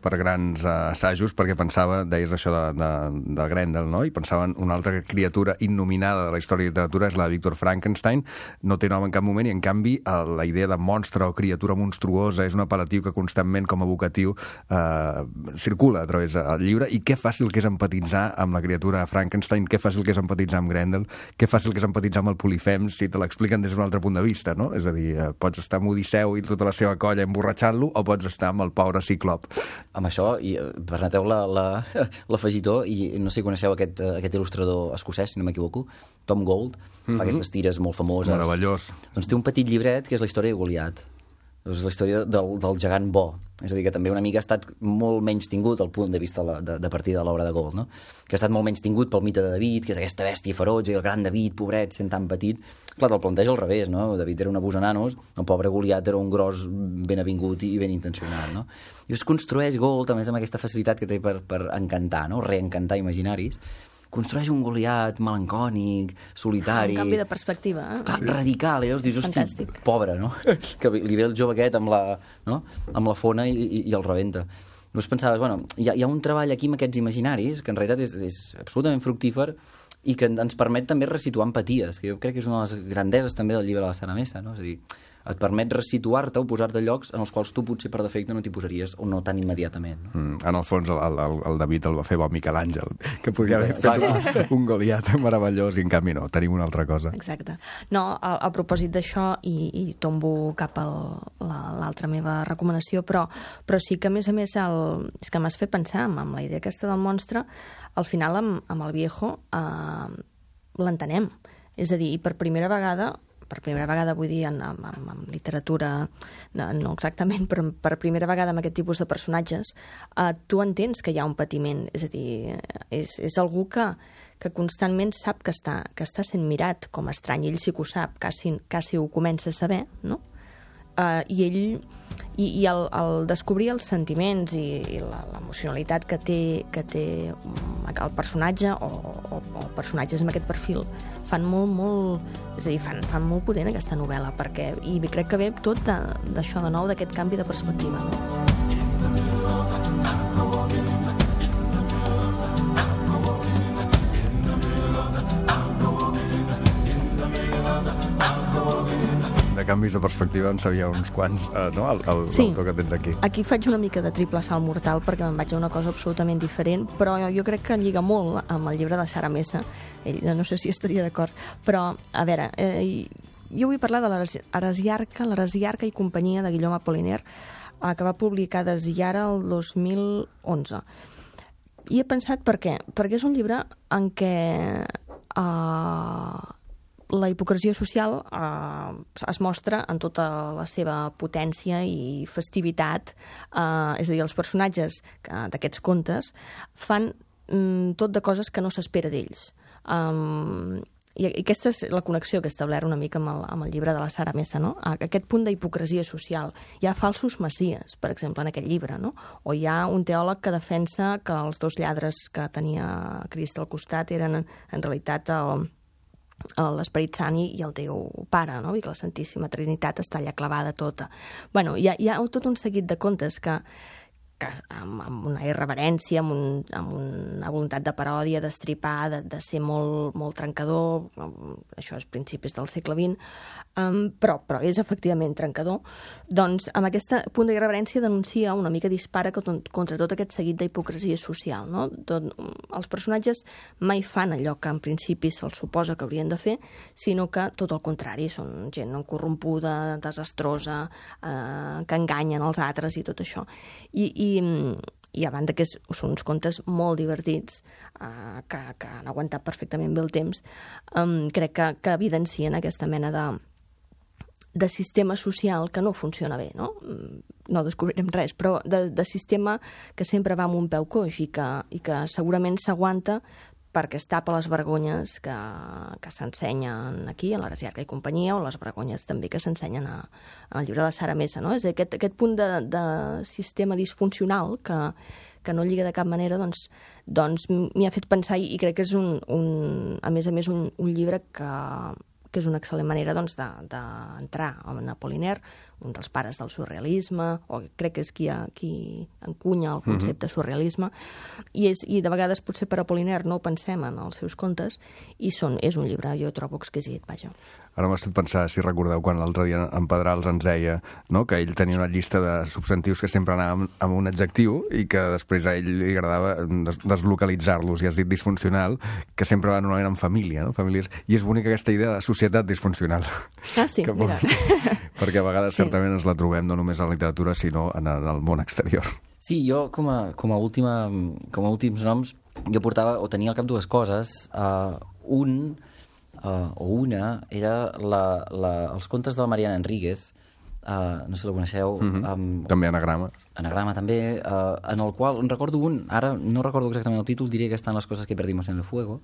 per grans uh, assajos, perquè pensava, deies això de, de, de Grendel, no? I pensava en una altra criatura innominada de la història de literatura, és la de Víctor Frankenstein, no té nom en cap moment, i en canvi uh, la idea de monstre o criatura monstruosa és un apel·latiu que constantment com a vocatiu uh, circula a través del llibre, i que fàcil que és empatitzar amb la criatura Frankenstein, que fàcil que és empatitzar amb Grendel, que fàcil que és empatitzar amb el Polifems, si te l'expliquen des d'un altre punt de vista, no? És a dir, uh, pots estar amb Odisseu i tota la seva colla emborratxant-lo, o pots estar amb el pobre Ciclop. Amb això, i permeteu l'afegitó, i no sé si coneixeu aquest, aquest il·lustrador escocès, si no m'equivoco, Tom Gold, mm-hmm. fa aquestes tires molt famoses. Meravellós. Doncs té un petit llibret que és la història de Goliat. És la història del, del gegant bo. És a dir, que també una mica ha estat molt menys tingut al punt de vista de, de, de partida de l'obra de Gold, no? Que ha estat molt menys tingut pel mite de David, que és aquesta bèstia ferotge, i el gran David, pobret, sent tan petit. Clar, te'l planteja al revés, no? David era un abús a nanos, el pobre Goliat era un gros ben avingut i ben intencionat, no? I es construeix Gold, a més amb aquesta facilitat que té per, per encantar, no? Reencantar imaginaris. Construeix un Goliat melancònic, solitari... Un canvi de perspectiva, eh? Clar, radical, i llavors dius, hosti, pobre, no? Que li ve el jove aquest amb la, no? amb la fona i, i, i el rebenta. Llavors pensaves, bueno, hi ha, hi ha un treball aquí amb aquests imaginaris que en realitat és, és absolutament fructífer i que ens permet també resituar empaties, que jo crec que és una de les grandeses també del llibre de la Sara Mesa, no? És a dir, et permet resituar-te o posar-te llocs en els quals tu potser per defecte no t'hi posaries o no tan immediatament. No? Mm, en el fons el, el, el David el va fer bo Miquel Àngel, que podria haver fet un, un Goliat meravellós i en canvi no, tenim una altra cosa. Exacte. No, a, a propòsit d'això, i, i tombo cap a l'altra meva recomanació, però, però sí que a més a més el, és que m'has fet pensar amb, amb la idea aquesta del monstre, al final amb, amb el Viejo eh, l'entenem. És a dir, i per primera vegada per primera vegada vull dir en, en, en, en literatura, no, no exactament, però per primera vegada amb aquest tipus de personatges, eh, tu entens que hi ha un patiment, és a dir, és, és algú que, que constantment sap que està, que està sent mirat com estrany, ell sí que ho sap, quasi, quasi ho comença a saber, no? Uh, i ell i, i el, el descobrir els sentiments i, i l'emocionalitat que té, que té el personatge o, o, o personatges amb aquest perfil fan molt, molt, és a dir, fan, fan molt potent aquesta novel·la, perquè, i crec que ve tot d'això de, de nou, d'aquest canvi de perspectiva, no? De canvis de perspectiva en sabia uns quants, eh, no? El, el, sí. L'autor que tens aquí. Aquí faig una mica de triple salt mortal perquè me'n vaig a una cosa absolutament diferent, però jo, jo crec que lliga molt amb el llibre de Sara Mesa. Ell, no sé si estaria d'acord, però, a veure, eh, jo vull parlar de l'Heresiarca, l'Heresiarca i companyia de Guillaume Apollinaire, eh, que va publicar Desillara el dos mil onze. I he pensat per què? Perquè és un llibre en què eh, la hipocresia social eh, es mostra en tota la seva potència i festivitat, eh, és a dir, els personatges d'aquests contes fan mm, tot de coses que no s'espera d'ells. Um, i aquesta és la connexió que he establert una mica amb el, amb el llibre de la Sara Mesa, no? Aquest punt d'hipocresia social. Hi ha falsos messies, per exemple, en aquest llibre, no? O hi ha un teòleg que defensa que els dos lladres que tenia Crist al costat eren en realitat el l'Esperit Sant i el Déu Pare, no? I que la Santíssima Trinitat està allà clavada tota. Bueno, hi ha, hi ha tot un seguit de contes que, que amb, amb una irreverència, amb, un, amb una voluntat de paròdia, d'estripar, de, de ser molt, molt trencador, això és principis del segle vint, um, però, però és efectivament trencador, doncs amb aquest punt d'irreverència denuncia una mica dispara contra tot aquest seguit d'hipocresia social, no? Tot, els personatges mai fan allò que en principi se'ls suposa que haurien de fer, sinó que tot el contrari, són gent corrompuda, desastrosa, eh, que enganyen els altres i tot això. I, i I, i a banda que és, són uns contes molt divertits, uh, que, que han aguantat perfectament bé el temps, um, crec que, que evidencien aquesta mena de, de sistema social que no funciona bé, no? No descobrirem res, però de, de sistema que sempre va amb un peu coix i que, i que segurament s'aguanta perquè es tapa les vergonyes que, que s'ensenyen aquí, a l'Heresiarca i companyia, o les vergonyes també que s'ensenyen a, a el llibre de la Sara Mesa, no? És aquest, aquest punt de, de sistema disfuncional que, que no lliga de cap manera, doncs, doncs m'hi ha fet pensar i crec que és un, un a més a més un, un llibre que, que és una excel·lent manera doncs, d'entrar de, en Apollinaire, un dels pares del surrealisme, o crec que és qui, ha, qui encunya el concepte de surrealisme, i, és, i de vegades potser per Apollinaire no ho pensem en els seus contes, i són, és un llibre, jo trobo exquisit, vaja. Ara m'ha estat pensar, si recordeu, quan l'altre dia en Pedrals ens deia, no?, que ell tenia una llista de substantius que sempre anaven amb un adjectiu i que després a ell li agradava des deslocalitzar-los, i has dit disfuncional, que sempre van normalment en família, no? Famílies, i és bonica aquesta idea de societat disfuncional. Ah, sí, que, mira. Perquè a vegades sí. certament ens la trobem no només a la literatura, sinó en el món exterior. Sí, jo com a, com a, última, com a últims noms, jo portava, o tenia al cap dues coses. Uh, un... Uh, o una era la, la, els contes de la Mariana Enríquez, uh, no sé si la coneixeu. Mm-hmm. um, també Anagrama. Anagrama, també, uh, en el qual, en recordo un, ara no recordo exactament el títol, diré que estan les coses que perdimos en el fuego,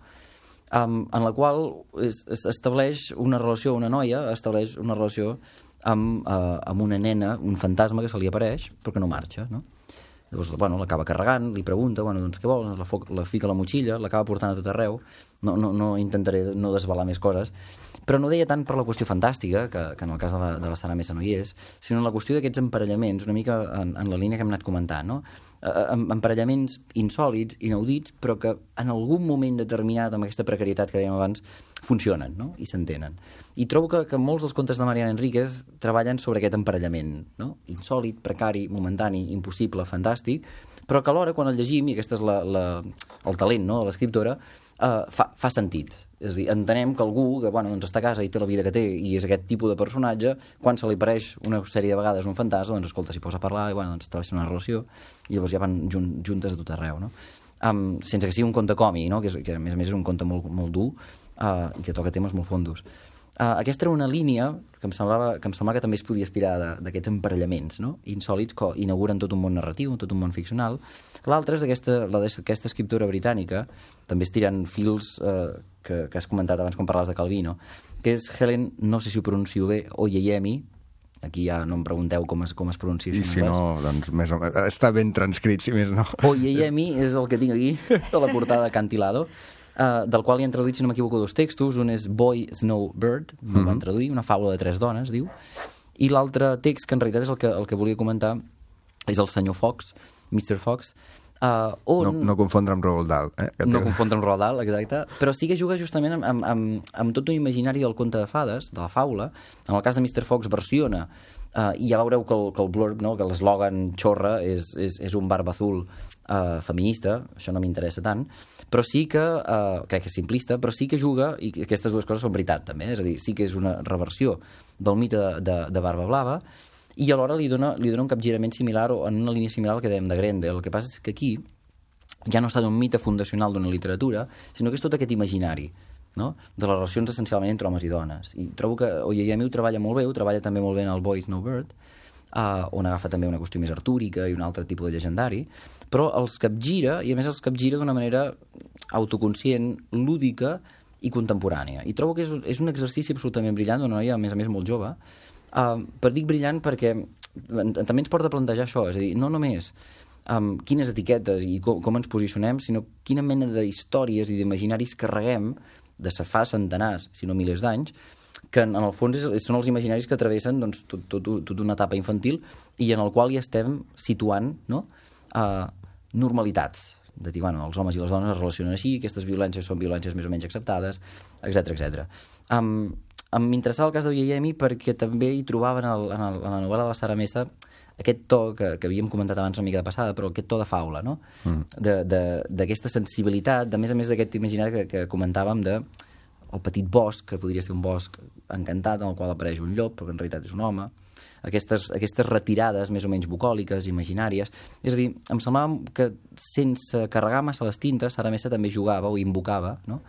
um, en la qual es, es estableix una relació, una noia estableix una relació amb, uh, amb una nena, un fantasma que se li apareix, però que no marxa, no? Llavors, bueno, l'acaba carregant, li pregunta, bueno, doncs què vols? La, foc, la fica a la motxilla, l'acaba portant a tot arreu. No, no, no intentaré no desvelar més coses. Però no deia tant per la qüestió fantàstica, que, que en el cas de la, de la Sara Mesa no hi és, sinó en la qüestió d'aquests emparellaments, una mica en, en la línia que hem anat comentant, no? amb emparellaments insòlids, inaudits, però que en algun moment determinat, amb aquesta precarietat que dèiem abans, funcionen, no? I s'entenen. I trobo que, que molts dels contes de Mariana Enríquez treballen sobre aquest emparellament, no? Insòlid, precari, momentani, impossible, fantàstic, però que alhora, quan el llegim, i aquest és la, la, el talent, no?, de l'escriptora, Uh, fa, fa sentit. És a dir, entenem que algú que bueno, doncs està a casa i té la vida que té i és aquest tipus de personatge, quan se li apareix una sèrie de vegades un fantasma, doncs escolta, s'hi posa a parlar i bueno, doncs estableix una relació i llavors ja van jun juntes a tot arreu, no? Um, sense que sigui un conte còmic, no? Que, és, que a més a més és un conte molt, molt dur uh, i que toca temes molt fondos. Uh, aquesta era una línia que em semblava que, em semblava que també es podia estirar d'aquests emparellaments, no? Insòlids que inauguren tot un món narratiu, tot un món ficcional. L'altra és aquesta, la d'aquesta escriptora britànica, també estirant fils eh, que, que has comentat abans quan parlaves de Calvino, que és Helen, no sé si ho pronuncio bé, Oyeyemi. Aquí ja no em pregunteu com es, com es pronuncia. I si no, doncs més o menys, està ben transcrit, si més no. Oyeyemi és el que tinc aquí, a la portada de Cantilado. Uh, del qual hi han traduït, si no m'equivoco, dos textos. Un és Boy Snowbird, no mm -hmm. van traduir, una faula de tres dones, diu. I l'altre text, que en realitat és el que, el que volia comentar, és el senyor Fox, mister Fox, uh, on... No, no confondre amb Roald Dahl. Eh? No confondre amb Roald Dahl, exacte. Però sí que juga justament amb, amb, amb, amb tot un imaginari del conte de fades, de la faula. En el cas de mister Fox versiona, uh, i ja veureu que el, que el blurb, no? Que l'eslògan xorra és, és, és un barba azul uh, feminista, això no m'interessa tant, però sí que, uh, crec que és simplista, però sí que juga, i aquestes dues coses són veritat també, eh? És a dir, sí que és una reversió del mite de, de, de Barba Blava, i alhora li dona, li dona un capgirament similar o en una línia similar al que dèiem de Grendel. El que passa és que aquí ja no està d'un mite fundacional d'una literatura, sinó que és tot aquest imaginari, no? De les relacions essencialment entre homes i dones. I trobo que Oyeyemi ho treballa molt bé, ho treballa també molt bé en el Boy Snowbird, uh, on agafa també una qüestió més artúrica i un altre tipus de llegendari, però els capgira, i a més els capgira d'una manera autoconscient, lúdica i contemporània. I trobo que és, és un exercici absolutament brillant d'una noia, a més a més, molt jove. Uh, per dic brillant perquè també ens porta a plantejar això, és a dir, no només um, quines etiquetes i com, com ens posicionem, sinó quina mena d'històries i d'imaginaris carreguem de fa centenars, si no milers d'anys, que en, en el fons és, són els imaginaris que travessen doncs, tot, tot, tot una etapa infantil i en el qual hi estem situant, no? Uh, normalitats, de dir, bueno, els homes i les dones es relacionen així, aquestes violències són violències més o menys acceptades, etcètera etcètera. Um, M'interessava el cas d'Oyeyemi perquè també hi trobava en, el, en, el, en la novel·la de la Sara Mesa aquest to que, que havíem comentat abans una mica de passada, però aquest to de faula, no? Mm. D'aquesta sensibilitat, de més a més d'aquest imaginari que, que comentàvem de el petit bosc, que podria ser un bosc encantat en el qual apareix un llop, però que en realitat és un home, aquestes, aquestes retirades més o menys bucòliques, imaginàries. És a dir, em semblava que sense carregar massa les tintes, Sara Mesa també jugava o invocava, no?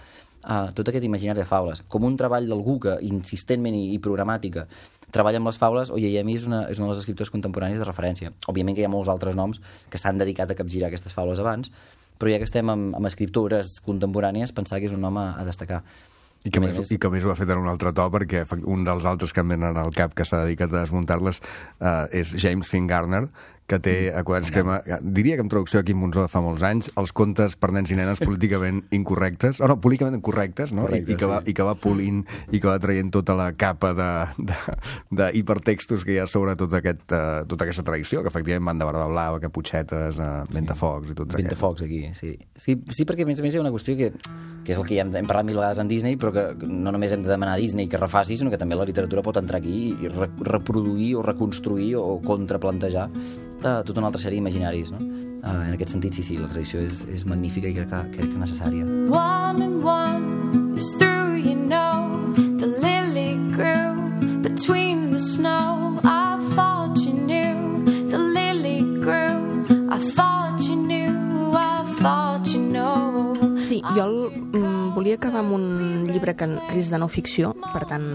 Uh, tot aquest imaginari de faules. Com un treball d'algú que insistentment i, i programàtica treballa amb les faules, Oyeyemi és una, és una de les escriptores contemporànies de referència. Òbviament que hi ha molts altres noms que s'han dedicat a capgirar aquestes faules abans, però ja que estem amb, amb escriptores contemporànies, pensar que és un home a destacar. I que, més, més... I que més ho ha fet en un altre to, perquè un dels altres que em venen al cap que s'ha dedicat a desmuntar-les uh, és James Finn Garner, que té, mm. que ma, diria que en traducció aquí en Monzó de fa molts anys, els contes per nens i nenes políticament incorrectes, o no, políticament correctes, no? Correcte, I, i, que va, sí. I que va polint i que va traient tota la capa d'hipertextos que hi ha sobre tot aquest, uh, tota aquesta tradició, que efectivament van de Barba Blava, Caputxetes, uh, Ventafocs i tot aquest. Ventafocs aquí, sí. sí. Sí, perquè a més a més hi ha una qüestió que, que és el que ja hem, hem parlat mil vegades en Disney, però que no només hem de demanar a Disney que refaci, sinó que també la literatura pot entrar aquí i re reproduir o reconstruir o contraplantejar tota una altra sèrie d'imaginaris, no? Uh, en aquest sentit, sí, sí, la tradició és, és magnífica i crec que, crec que necessària. One and one is through, you know, the lily grew between the snow. I thought you knew, the lily grew. I thought you knew, I thought you know. Sí, jo el, mm, volia acabar amb un llibre que és de no ficció, per tant,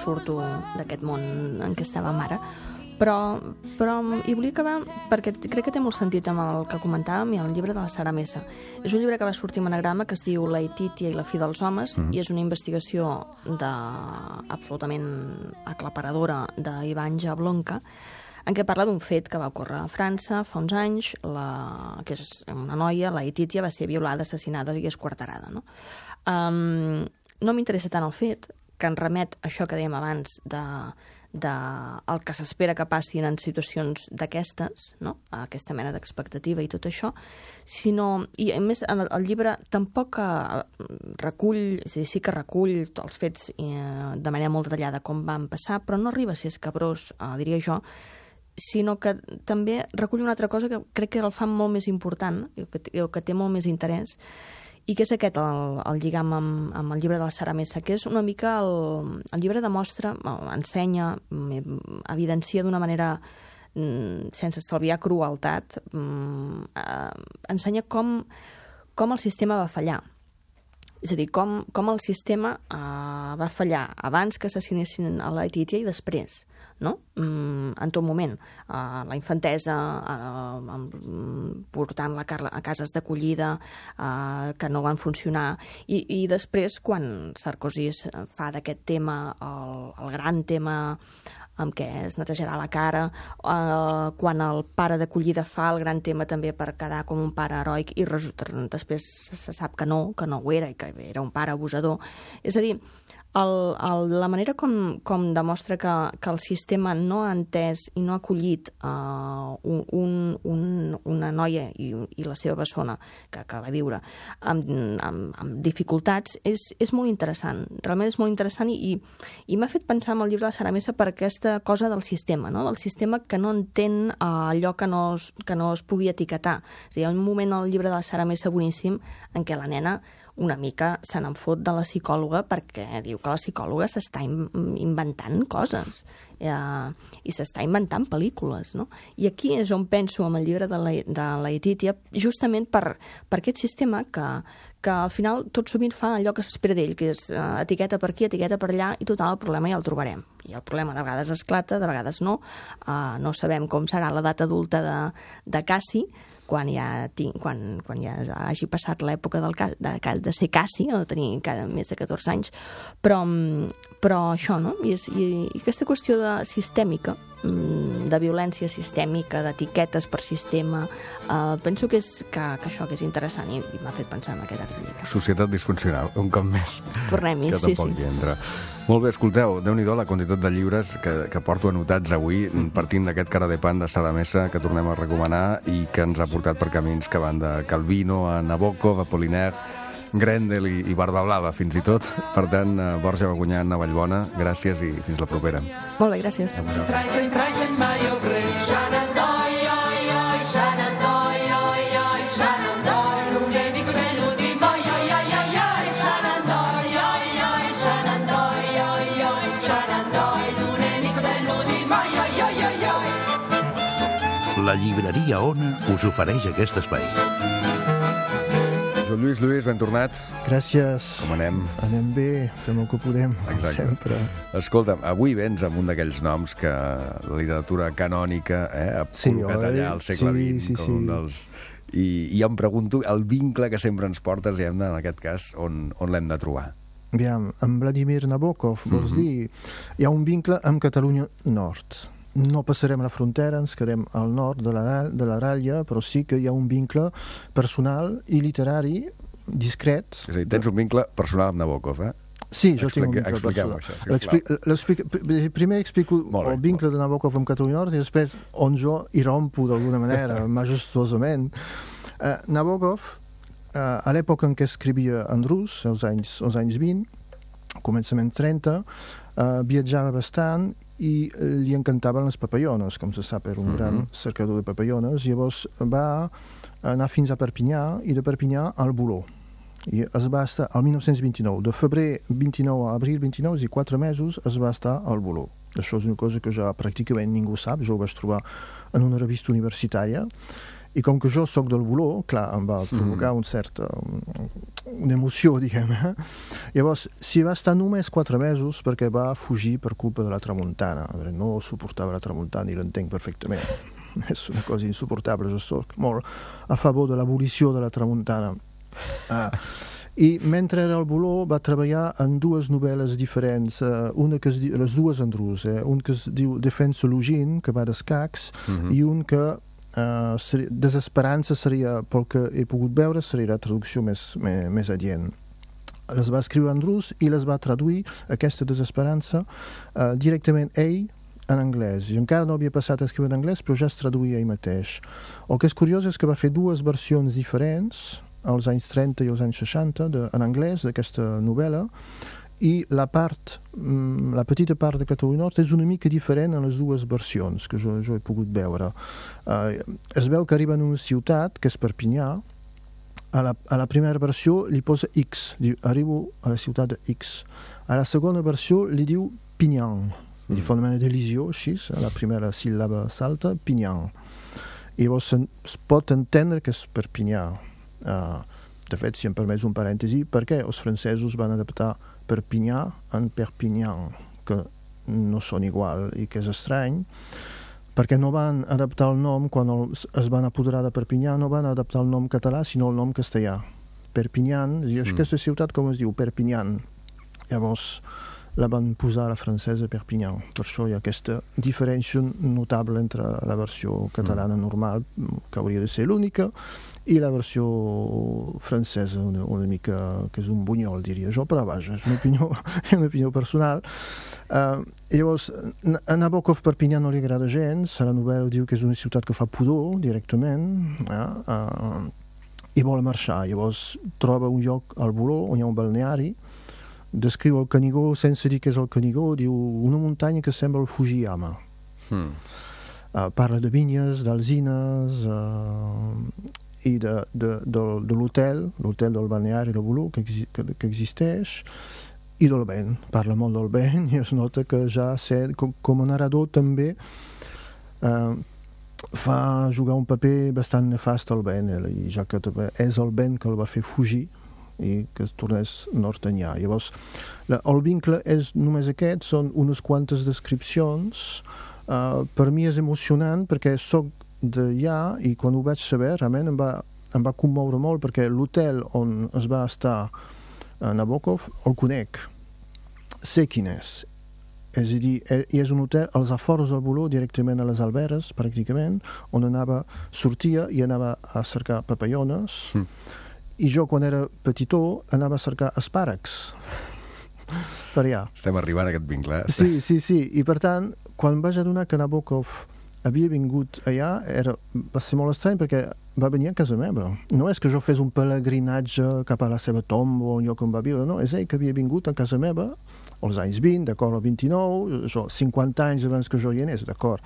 surto d'aquest món en què estàvem ara, però, però hi volia acabar perquè crec que té molt sentit amb el que comentàvem i el llibre de la Sara Mesa. És un llibre que va sortir en anagrama que es diu La Ititia i la fi dels homes, mm. i és una investigació de, absolutament aclaparadora d'Ivan Jablonka, en què parla d'un fet que va ocórrer a França fa uns anys, la, que és una noia, la Ititia, va ser violada, assassinada i esquarterada. No, um, no m'interessa tant el fet, que en remet a això que dèiem abans de, de el que s'espera que passin en situacions d'aquestes, no? Aquesta mena d'expectativa i tot això, sinó, i a més el, el llibre tampoc eh, recull, és a dir, sí que recull els fets eh, de manera molt detallada com van passar, però no arriba a ser escabrós, eh, diria jo, sinó que també recull una altra cosa que crec que el fa molt més important, que, que té molt més interès, i que és aquest el, el lligam amb, amb el llibre de la Sara Mesa, que és una mica el, el llibre demostra, ensenya, evidencia d'una manera sense estalviar crueltat, eh, ensenya com, com el sistema va fallar. És a dir, com, com el sistema eh, va fallar abans que assassinessin a la Letitia i després, no? Mm, en tot moment. Uh, la infantesa, uh, portant la Carla a cases d'acollida uh, que no van funcionar. I, i després, quan Sarkozy fa d'aquest tema el, el gran tema amb què es netejarà la cara, uh, quan el pare d'acollida fa el gran tema també per quedar com un pare heroic i resulta, després se sap que no, que no ho era i que era un pare abusador. És a dir, El, el, la manera com, com demostra que, que el sistema no ha entès i no ha acollit uh, un, un, una noia i, i la seva persona que, que va viure amb, amb, amb dificultats és, és molt interessant. Realment és molt interessant i, i m'ha fet pensar en el llibre de la Sara Mesa per aquesta cosa del sistema, no? Del sistema que no entén uh, allò que no, es, que no es pugui etiquetar. És a dir, hi ha un moment al llibre de la Sara Mesa boníssim en què la nena una mica se n'en fot de la psicòloga perquè diu que la psicòloga s'està inventant coses eh, i s'està inventant pel·lícules, no? I aquí és on penso amb el llibre de la, de la Letitia, justament per, per aquest sistema que, que al final tot sovint fa allò que s'espera d'ell, que és eh, etiqueta per aquí, etiqueta per allà, i total, el problema ja el trobarem. I el problema de vegades esclata, de vegades no. Eh, no sabem com serà l'edat adulta de, de Cassi, quan ja, tinc, quan, quan ja hagi passat l'època del, de, de ser Cassi, o de tenir encara més de catorze anys, però, però això, no? I, és, i, i aquesta qüestió de sistèmica, de violència sistèmica, d'etiquetes per sistema, eh, penso que, és, que, que això que és interessant i, i m'ha fet pensar en aquest altre llibre. Societat disfuncional, un cop més. Tornem-hi, sí, sí. Que tampoc hi entra. Molt bé, escolteu, Déu-n'hi-do la quantitat de llibres que, que porto anotats avui, partint d'aquest cara de pan de Sara Mesa, que tornem a recomanar i que ens ha portat per camins que van de Calvino a Nabokov, a Apollinaire, Grendel i, i Barba Blava, fins i tot. Per tant, Borja Bagunyà, Vallbona, gràcies i fins la propera. Molt bé, gràcies. La llibreria Ona us ofereix aquest espai. Joan Lluís, Lluís, ben tornat. Gràcies. Com anem? Anem bé, fem el que podem, Exacte. sempre. Escolta, avui vens amb un d'aquells noms que la literatura canònica eh, ha sí, col·locat oi? allà al segle sí, vint sí, com sí. un dels... I, I jo em pregunto el vincle que sempre ens portes, i hem de, en aquest cas, on, on l'hem de trobar? Aviam, amb Vladimir Nabokov, vols Mhm. dir, hi ha un vincle amb Catalunya Nord. No passarem la frontera, ens quedem al nord de la, de la ratlla, però sí que hi ha un vincle personal i literari discret. És a dir, tens un vincle personal amb Nabokov, eh? Sí, jo tinc un Explique- vincle expliqueu-ho, personal. això, sisplau. L'expli- l'explica- pr- Primer explico Molt bé, el vincle de Nabokov amb Catalunya Nord i després on jo hi rompo d'alguna manera, majestosament. Uh, Nabokov, uh, a l'època en què escrivia en rus, als anys, als anys vint, començament trenta, uh, viatjava bastant i li encantaven les papallones, com se sap, era un Mhm. gran cercador de papallones. Llavors va anar fins a Perpinyà i de Perpinyà al Boló. I es va estar al mil nou-cents vint-i-nou, de febrer vint-i-nou a abril vint-i-nou, és a dir, quatre mesos, es va estar al Boló. Això és una cosa que ja pràcticament ningú sap, jo ho vaig trobar en una revista universitària, i com que jo sóc del Boló, clar, em va provocar un cert, una emoció, diguem. Eh? Llavors, s'hi va estar només quatre mesos perquè va fugir per culpa de la tramuntana. A veure, no suportava la tramuntana i l'entenc perfectament. És una cosa insuportable, jo soc molt a favor de l'abolició de la tramuntana. Ah. I mentre era al Boló va treballar en dues novel·les diferents, uh, una que es diu, les dues en rus, eh? Un que es diu Defensa Lugin, que va d'escacs, Mhm. i un que uh, seria, Desesperança seria, pel que he pogut veure, seria la traducció més, més, més adient. les va escriure en rus i les va traduir, aquesta desesperança, uh, directament ell en anglès. I encara no havia passat a escriure en anglès, però ja es traduïa ell mateix. El que és curiós és que va fer dues versions diferents, als anys trenta i als anys seixanta, de, en anglès, d'aquesta novel·la, i la part, la petita part de Catalunya Nord és una mica diferent en les dues versions que jo, jo he pogut veure. Uh, es veu que arriba en una ciutat, que és Perpinyà, a la, a la primera versió li posa X, diu, arribo a la ciutat de X. A la segona versió li diu Pinyan, mm. li fa una mena d'elisió, així, a la primera síl·laba salta, Pinyan. I llavors es pot entendre que és Perpinyà. Uh, de fet, si em permets un parèntesi, per què els francesos van adaptar Perpinyà en Perpignan, que no són igual i que és estrany, perquè no van adaptar el nom, quan el, es van apoderar de Perpinyà, no van adaptar el nom català, sinó el nom castellà. Perpignan, i mm. aquesta ciutat com es diu? Perpignan. Llavors la van posar a la francesa Perpignan. Per això hi ha aquesta diferència notable entre la versió catalana mm. normal, que hauria de ser l'única, i la versió francesa una, una mica, que és un bunyol, diria jo, però vaja, és una opinió, una opinió personal. Uh, llavors, a Nabokov Perpinyà no li agrada gens, a la novel·la diu que és una ciutat que fa pudor directament, uh, uh, i vol marxar. Llavors troba un lloc al Boló, on hi ha un balneari, descriu el Canigó sense dir que és el Canigó, diu una muntanya que sembla el Fujiyama. Hmm. Uh, parla de vinyes, d'alzines, uh, i de, de, de, de l'hotel, l'hotel del balneari de Boló, que, exi, que, que existeix, i del vent. Parla molt del vent i es nota que ja sé, com, com a narrador també eh, fa jugar un paper bastant nefast al vent, eh, i ja que és el vent que el va fer fugir i que es tornés nord-enllà. Llavors, la, el vincle és només aquest, són unes quantes descripcions. Eh, per mi és emocionant perquè soc d'allà i quan ho vaig saber realment em va, em va commoure molt perquè l'hotel on es va estar a Nabokov el conec, sé quin és, és a dir, és un hotel als afores del Boló, directament a les Alberes pràcticament, on anava, sortia i anava a cercar papallones mm. i jo quan era petitó anava a cercar espàrrecs per allà. Estem arribant a aquest vincle. Eh? Sí, sí, sí, i per tant quan vaig adonar que Nabokov havia vingut allà, era, va ser molt estrany perquè va venir a casa meva. No és que jo fes un pelegrinatge cap a la seva tomba o un lloc on va viure, no, és ell que havia vingut a casa meva als anys vint, d'acord, al vint-i-nou, això, cinquanta anys abans que jo hi anés, d'acord.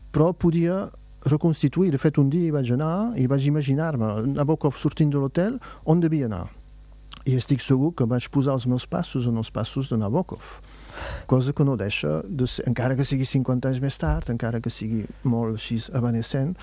Però podia reconstituir, de fet un dia hi vaig anar i vaig imaginar-me Nabokov sortint de l'hotel on devia anar. I estic segur que vaig posar els meus passos en els passos de Nabokov. Cosa que no deixa de ser, encara que sigui cinquanta anys més tard, encara que sigui molt així evanescent,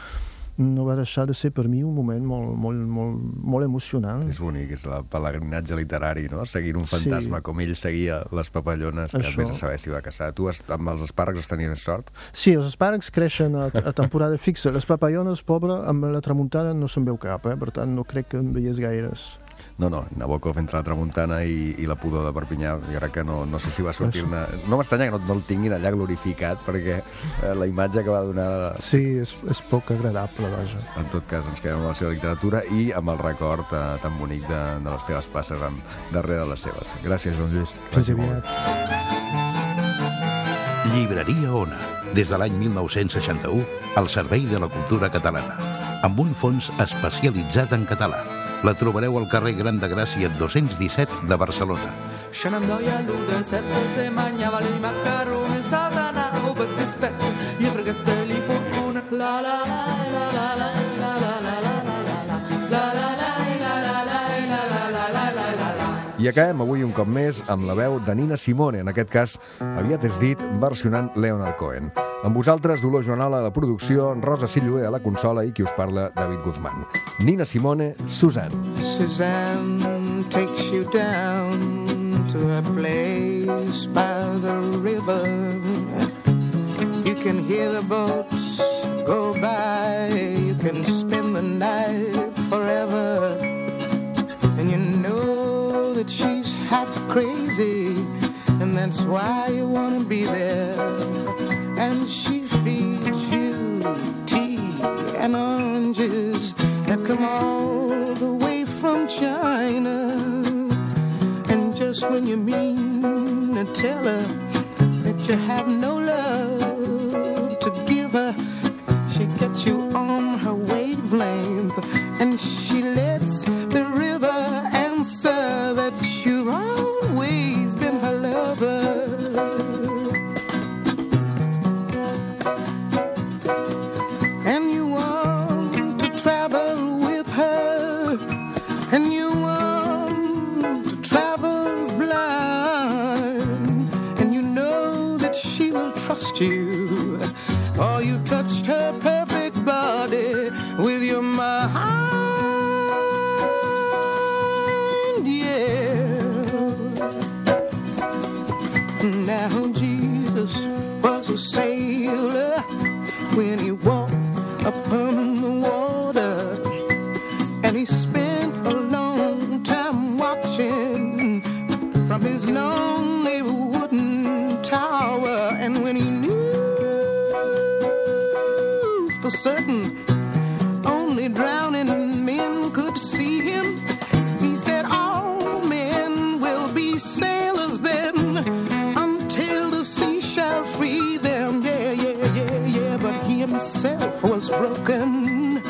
no va deixar de ser per mi un moment molt, molt, molt, molt emocionant. És bonic, és el pelegrinatge literari, no? Seguint un fantasma sí. Com ell seguia les papallones, que vés a saber si va caçar. Tu amb els espàrrecs has tenies sort? Sí, els espàrrecs creixen a, a temporada fixa. Les papallones, pobre, amb la tramuntana no se'n veu cap, eh? Per tant no crec que en veies gaires. No, no, Nabokov entre la tramuntana i, i la pudor de Perpinyà, jo crec que no, no sé si va sortir una... No m'estranya que no, no el tinguin allà glorificat, perquè eh, la imatge que va donar... Sí, és, és poc agradable, vaja. En tot cas, ens quedem amb la seva literatura i amb el record eh, tan bonic de, de les teves passes amb, darrere de les seves. Gràcies, Joan Lluís. Fins aviat. Llibreria Ona, des de l'any mil nou-cents seixanta-u, al servei de la cultura catalana, amb un fons especialitzat en català. La trobareu al carrer Gran de Gràcia dos-cents disset de Barcelona. Shenandoah luda sette se mangiava i macaroni satanavo per dispetto gli fratelli fortuna la la la la la la la la I acabem avui un cop més amb la veu de Nina Simone, en aquest cas, aviat és dit, versionant Leonard Cohen. Amb vosaltres, Dolors Joanala a la producció, Rosa Silloé a la consola i qui us parla, David Guzmán. Nina Simone, Suzanne. Suzanne takes you down to a place by the river. You can hear the boats go by. You can spend the night forever. And you know that she's half crazy, and that's why you want to be there. And she feeds you tea and oranges that come all the way from China. just when you mean to tell her that you have no love to give her, she gets you on her wavelength, and she lets the river answer that you've always been her lover. And you want to travel with her, and you want to travel blind, and you know that she will trust you, or you touched her perfect body with your mind, yeah. Now Jesus was a sailor when he walked upon the water, and he spent a long time watching from his lonely wooden tower, and when he knew for certain only drowning men could see him, he said all men will be sailors then until the sea shall free them. Yeah, yeah, yeah, yeah, but he himself was broken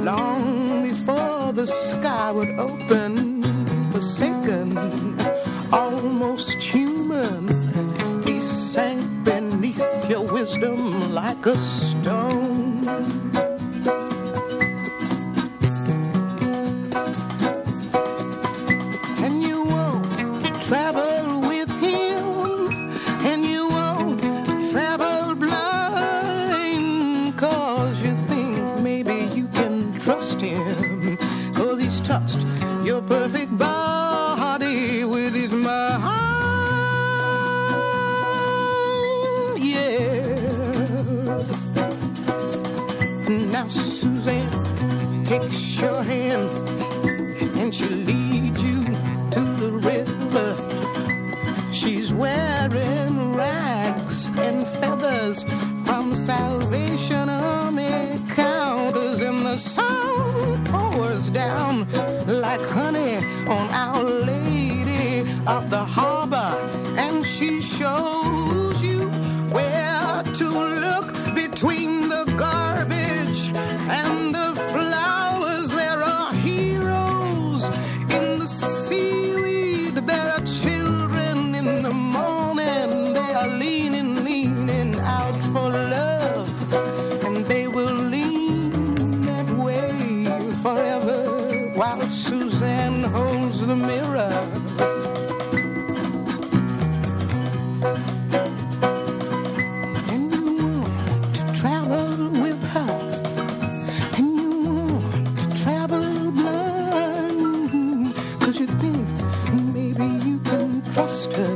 long before the sky would open, forsaken, almost human. He sank beneath your wisdom like a stone. And you won't travel with him, and you won't travel blind, 'cause you think maybe you can trust him, 'cause he's touched your perfect body with his mind, yeah. Now Suzanne takes your hand and she leads you to the river. She's wearing rags and feathers from Salvation Army counters, and the sun pours down like honey on Our Lady of the Harbor, and she shows you where to look between the garbage and the flowers. There are heroes in the seaweed, there are children in the morning, they are leaning, leaning out for love, and they will lean that way forever while Suzanne holds the mirror. And you want to travel with her, and you want to travel blind, 'cause you think maybe you can trust her,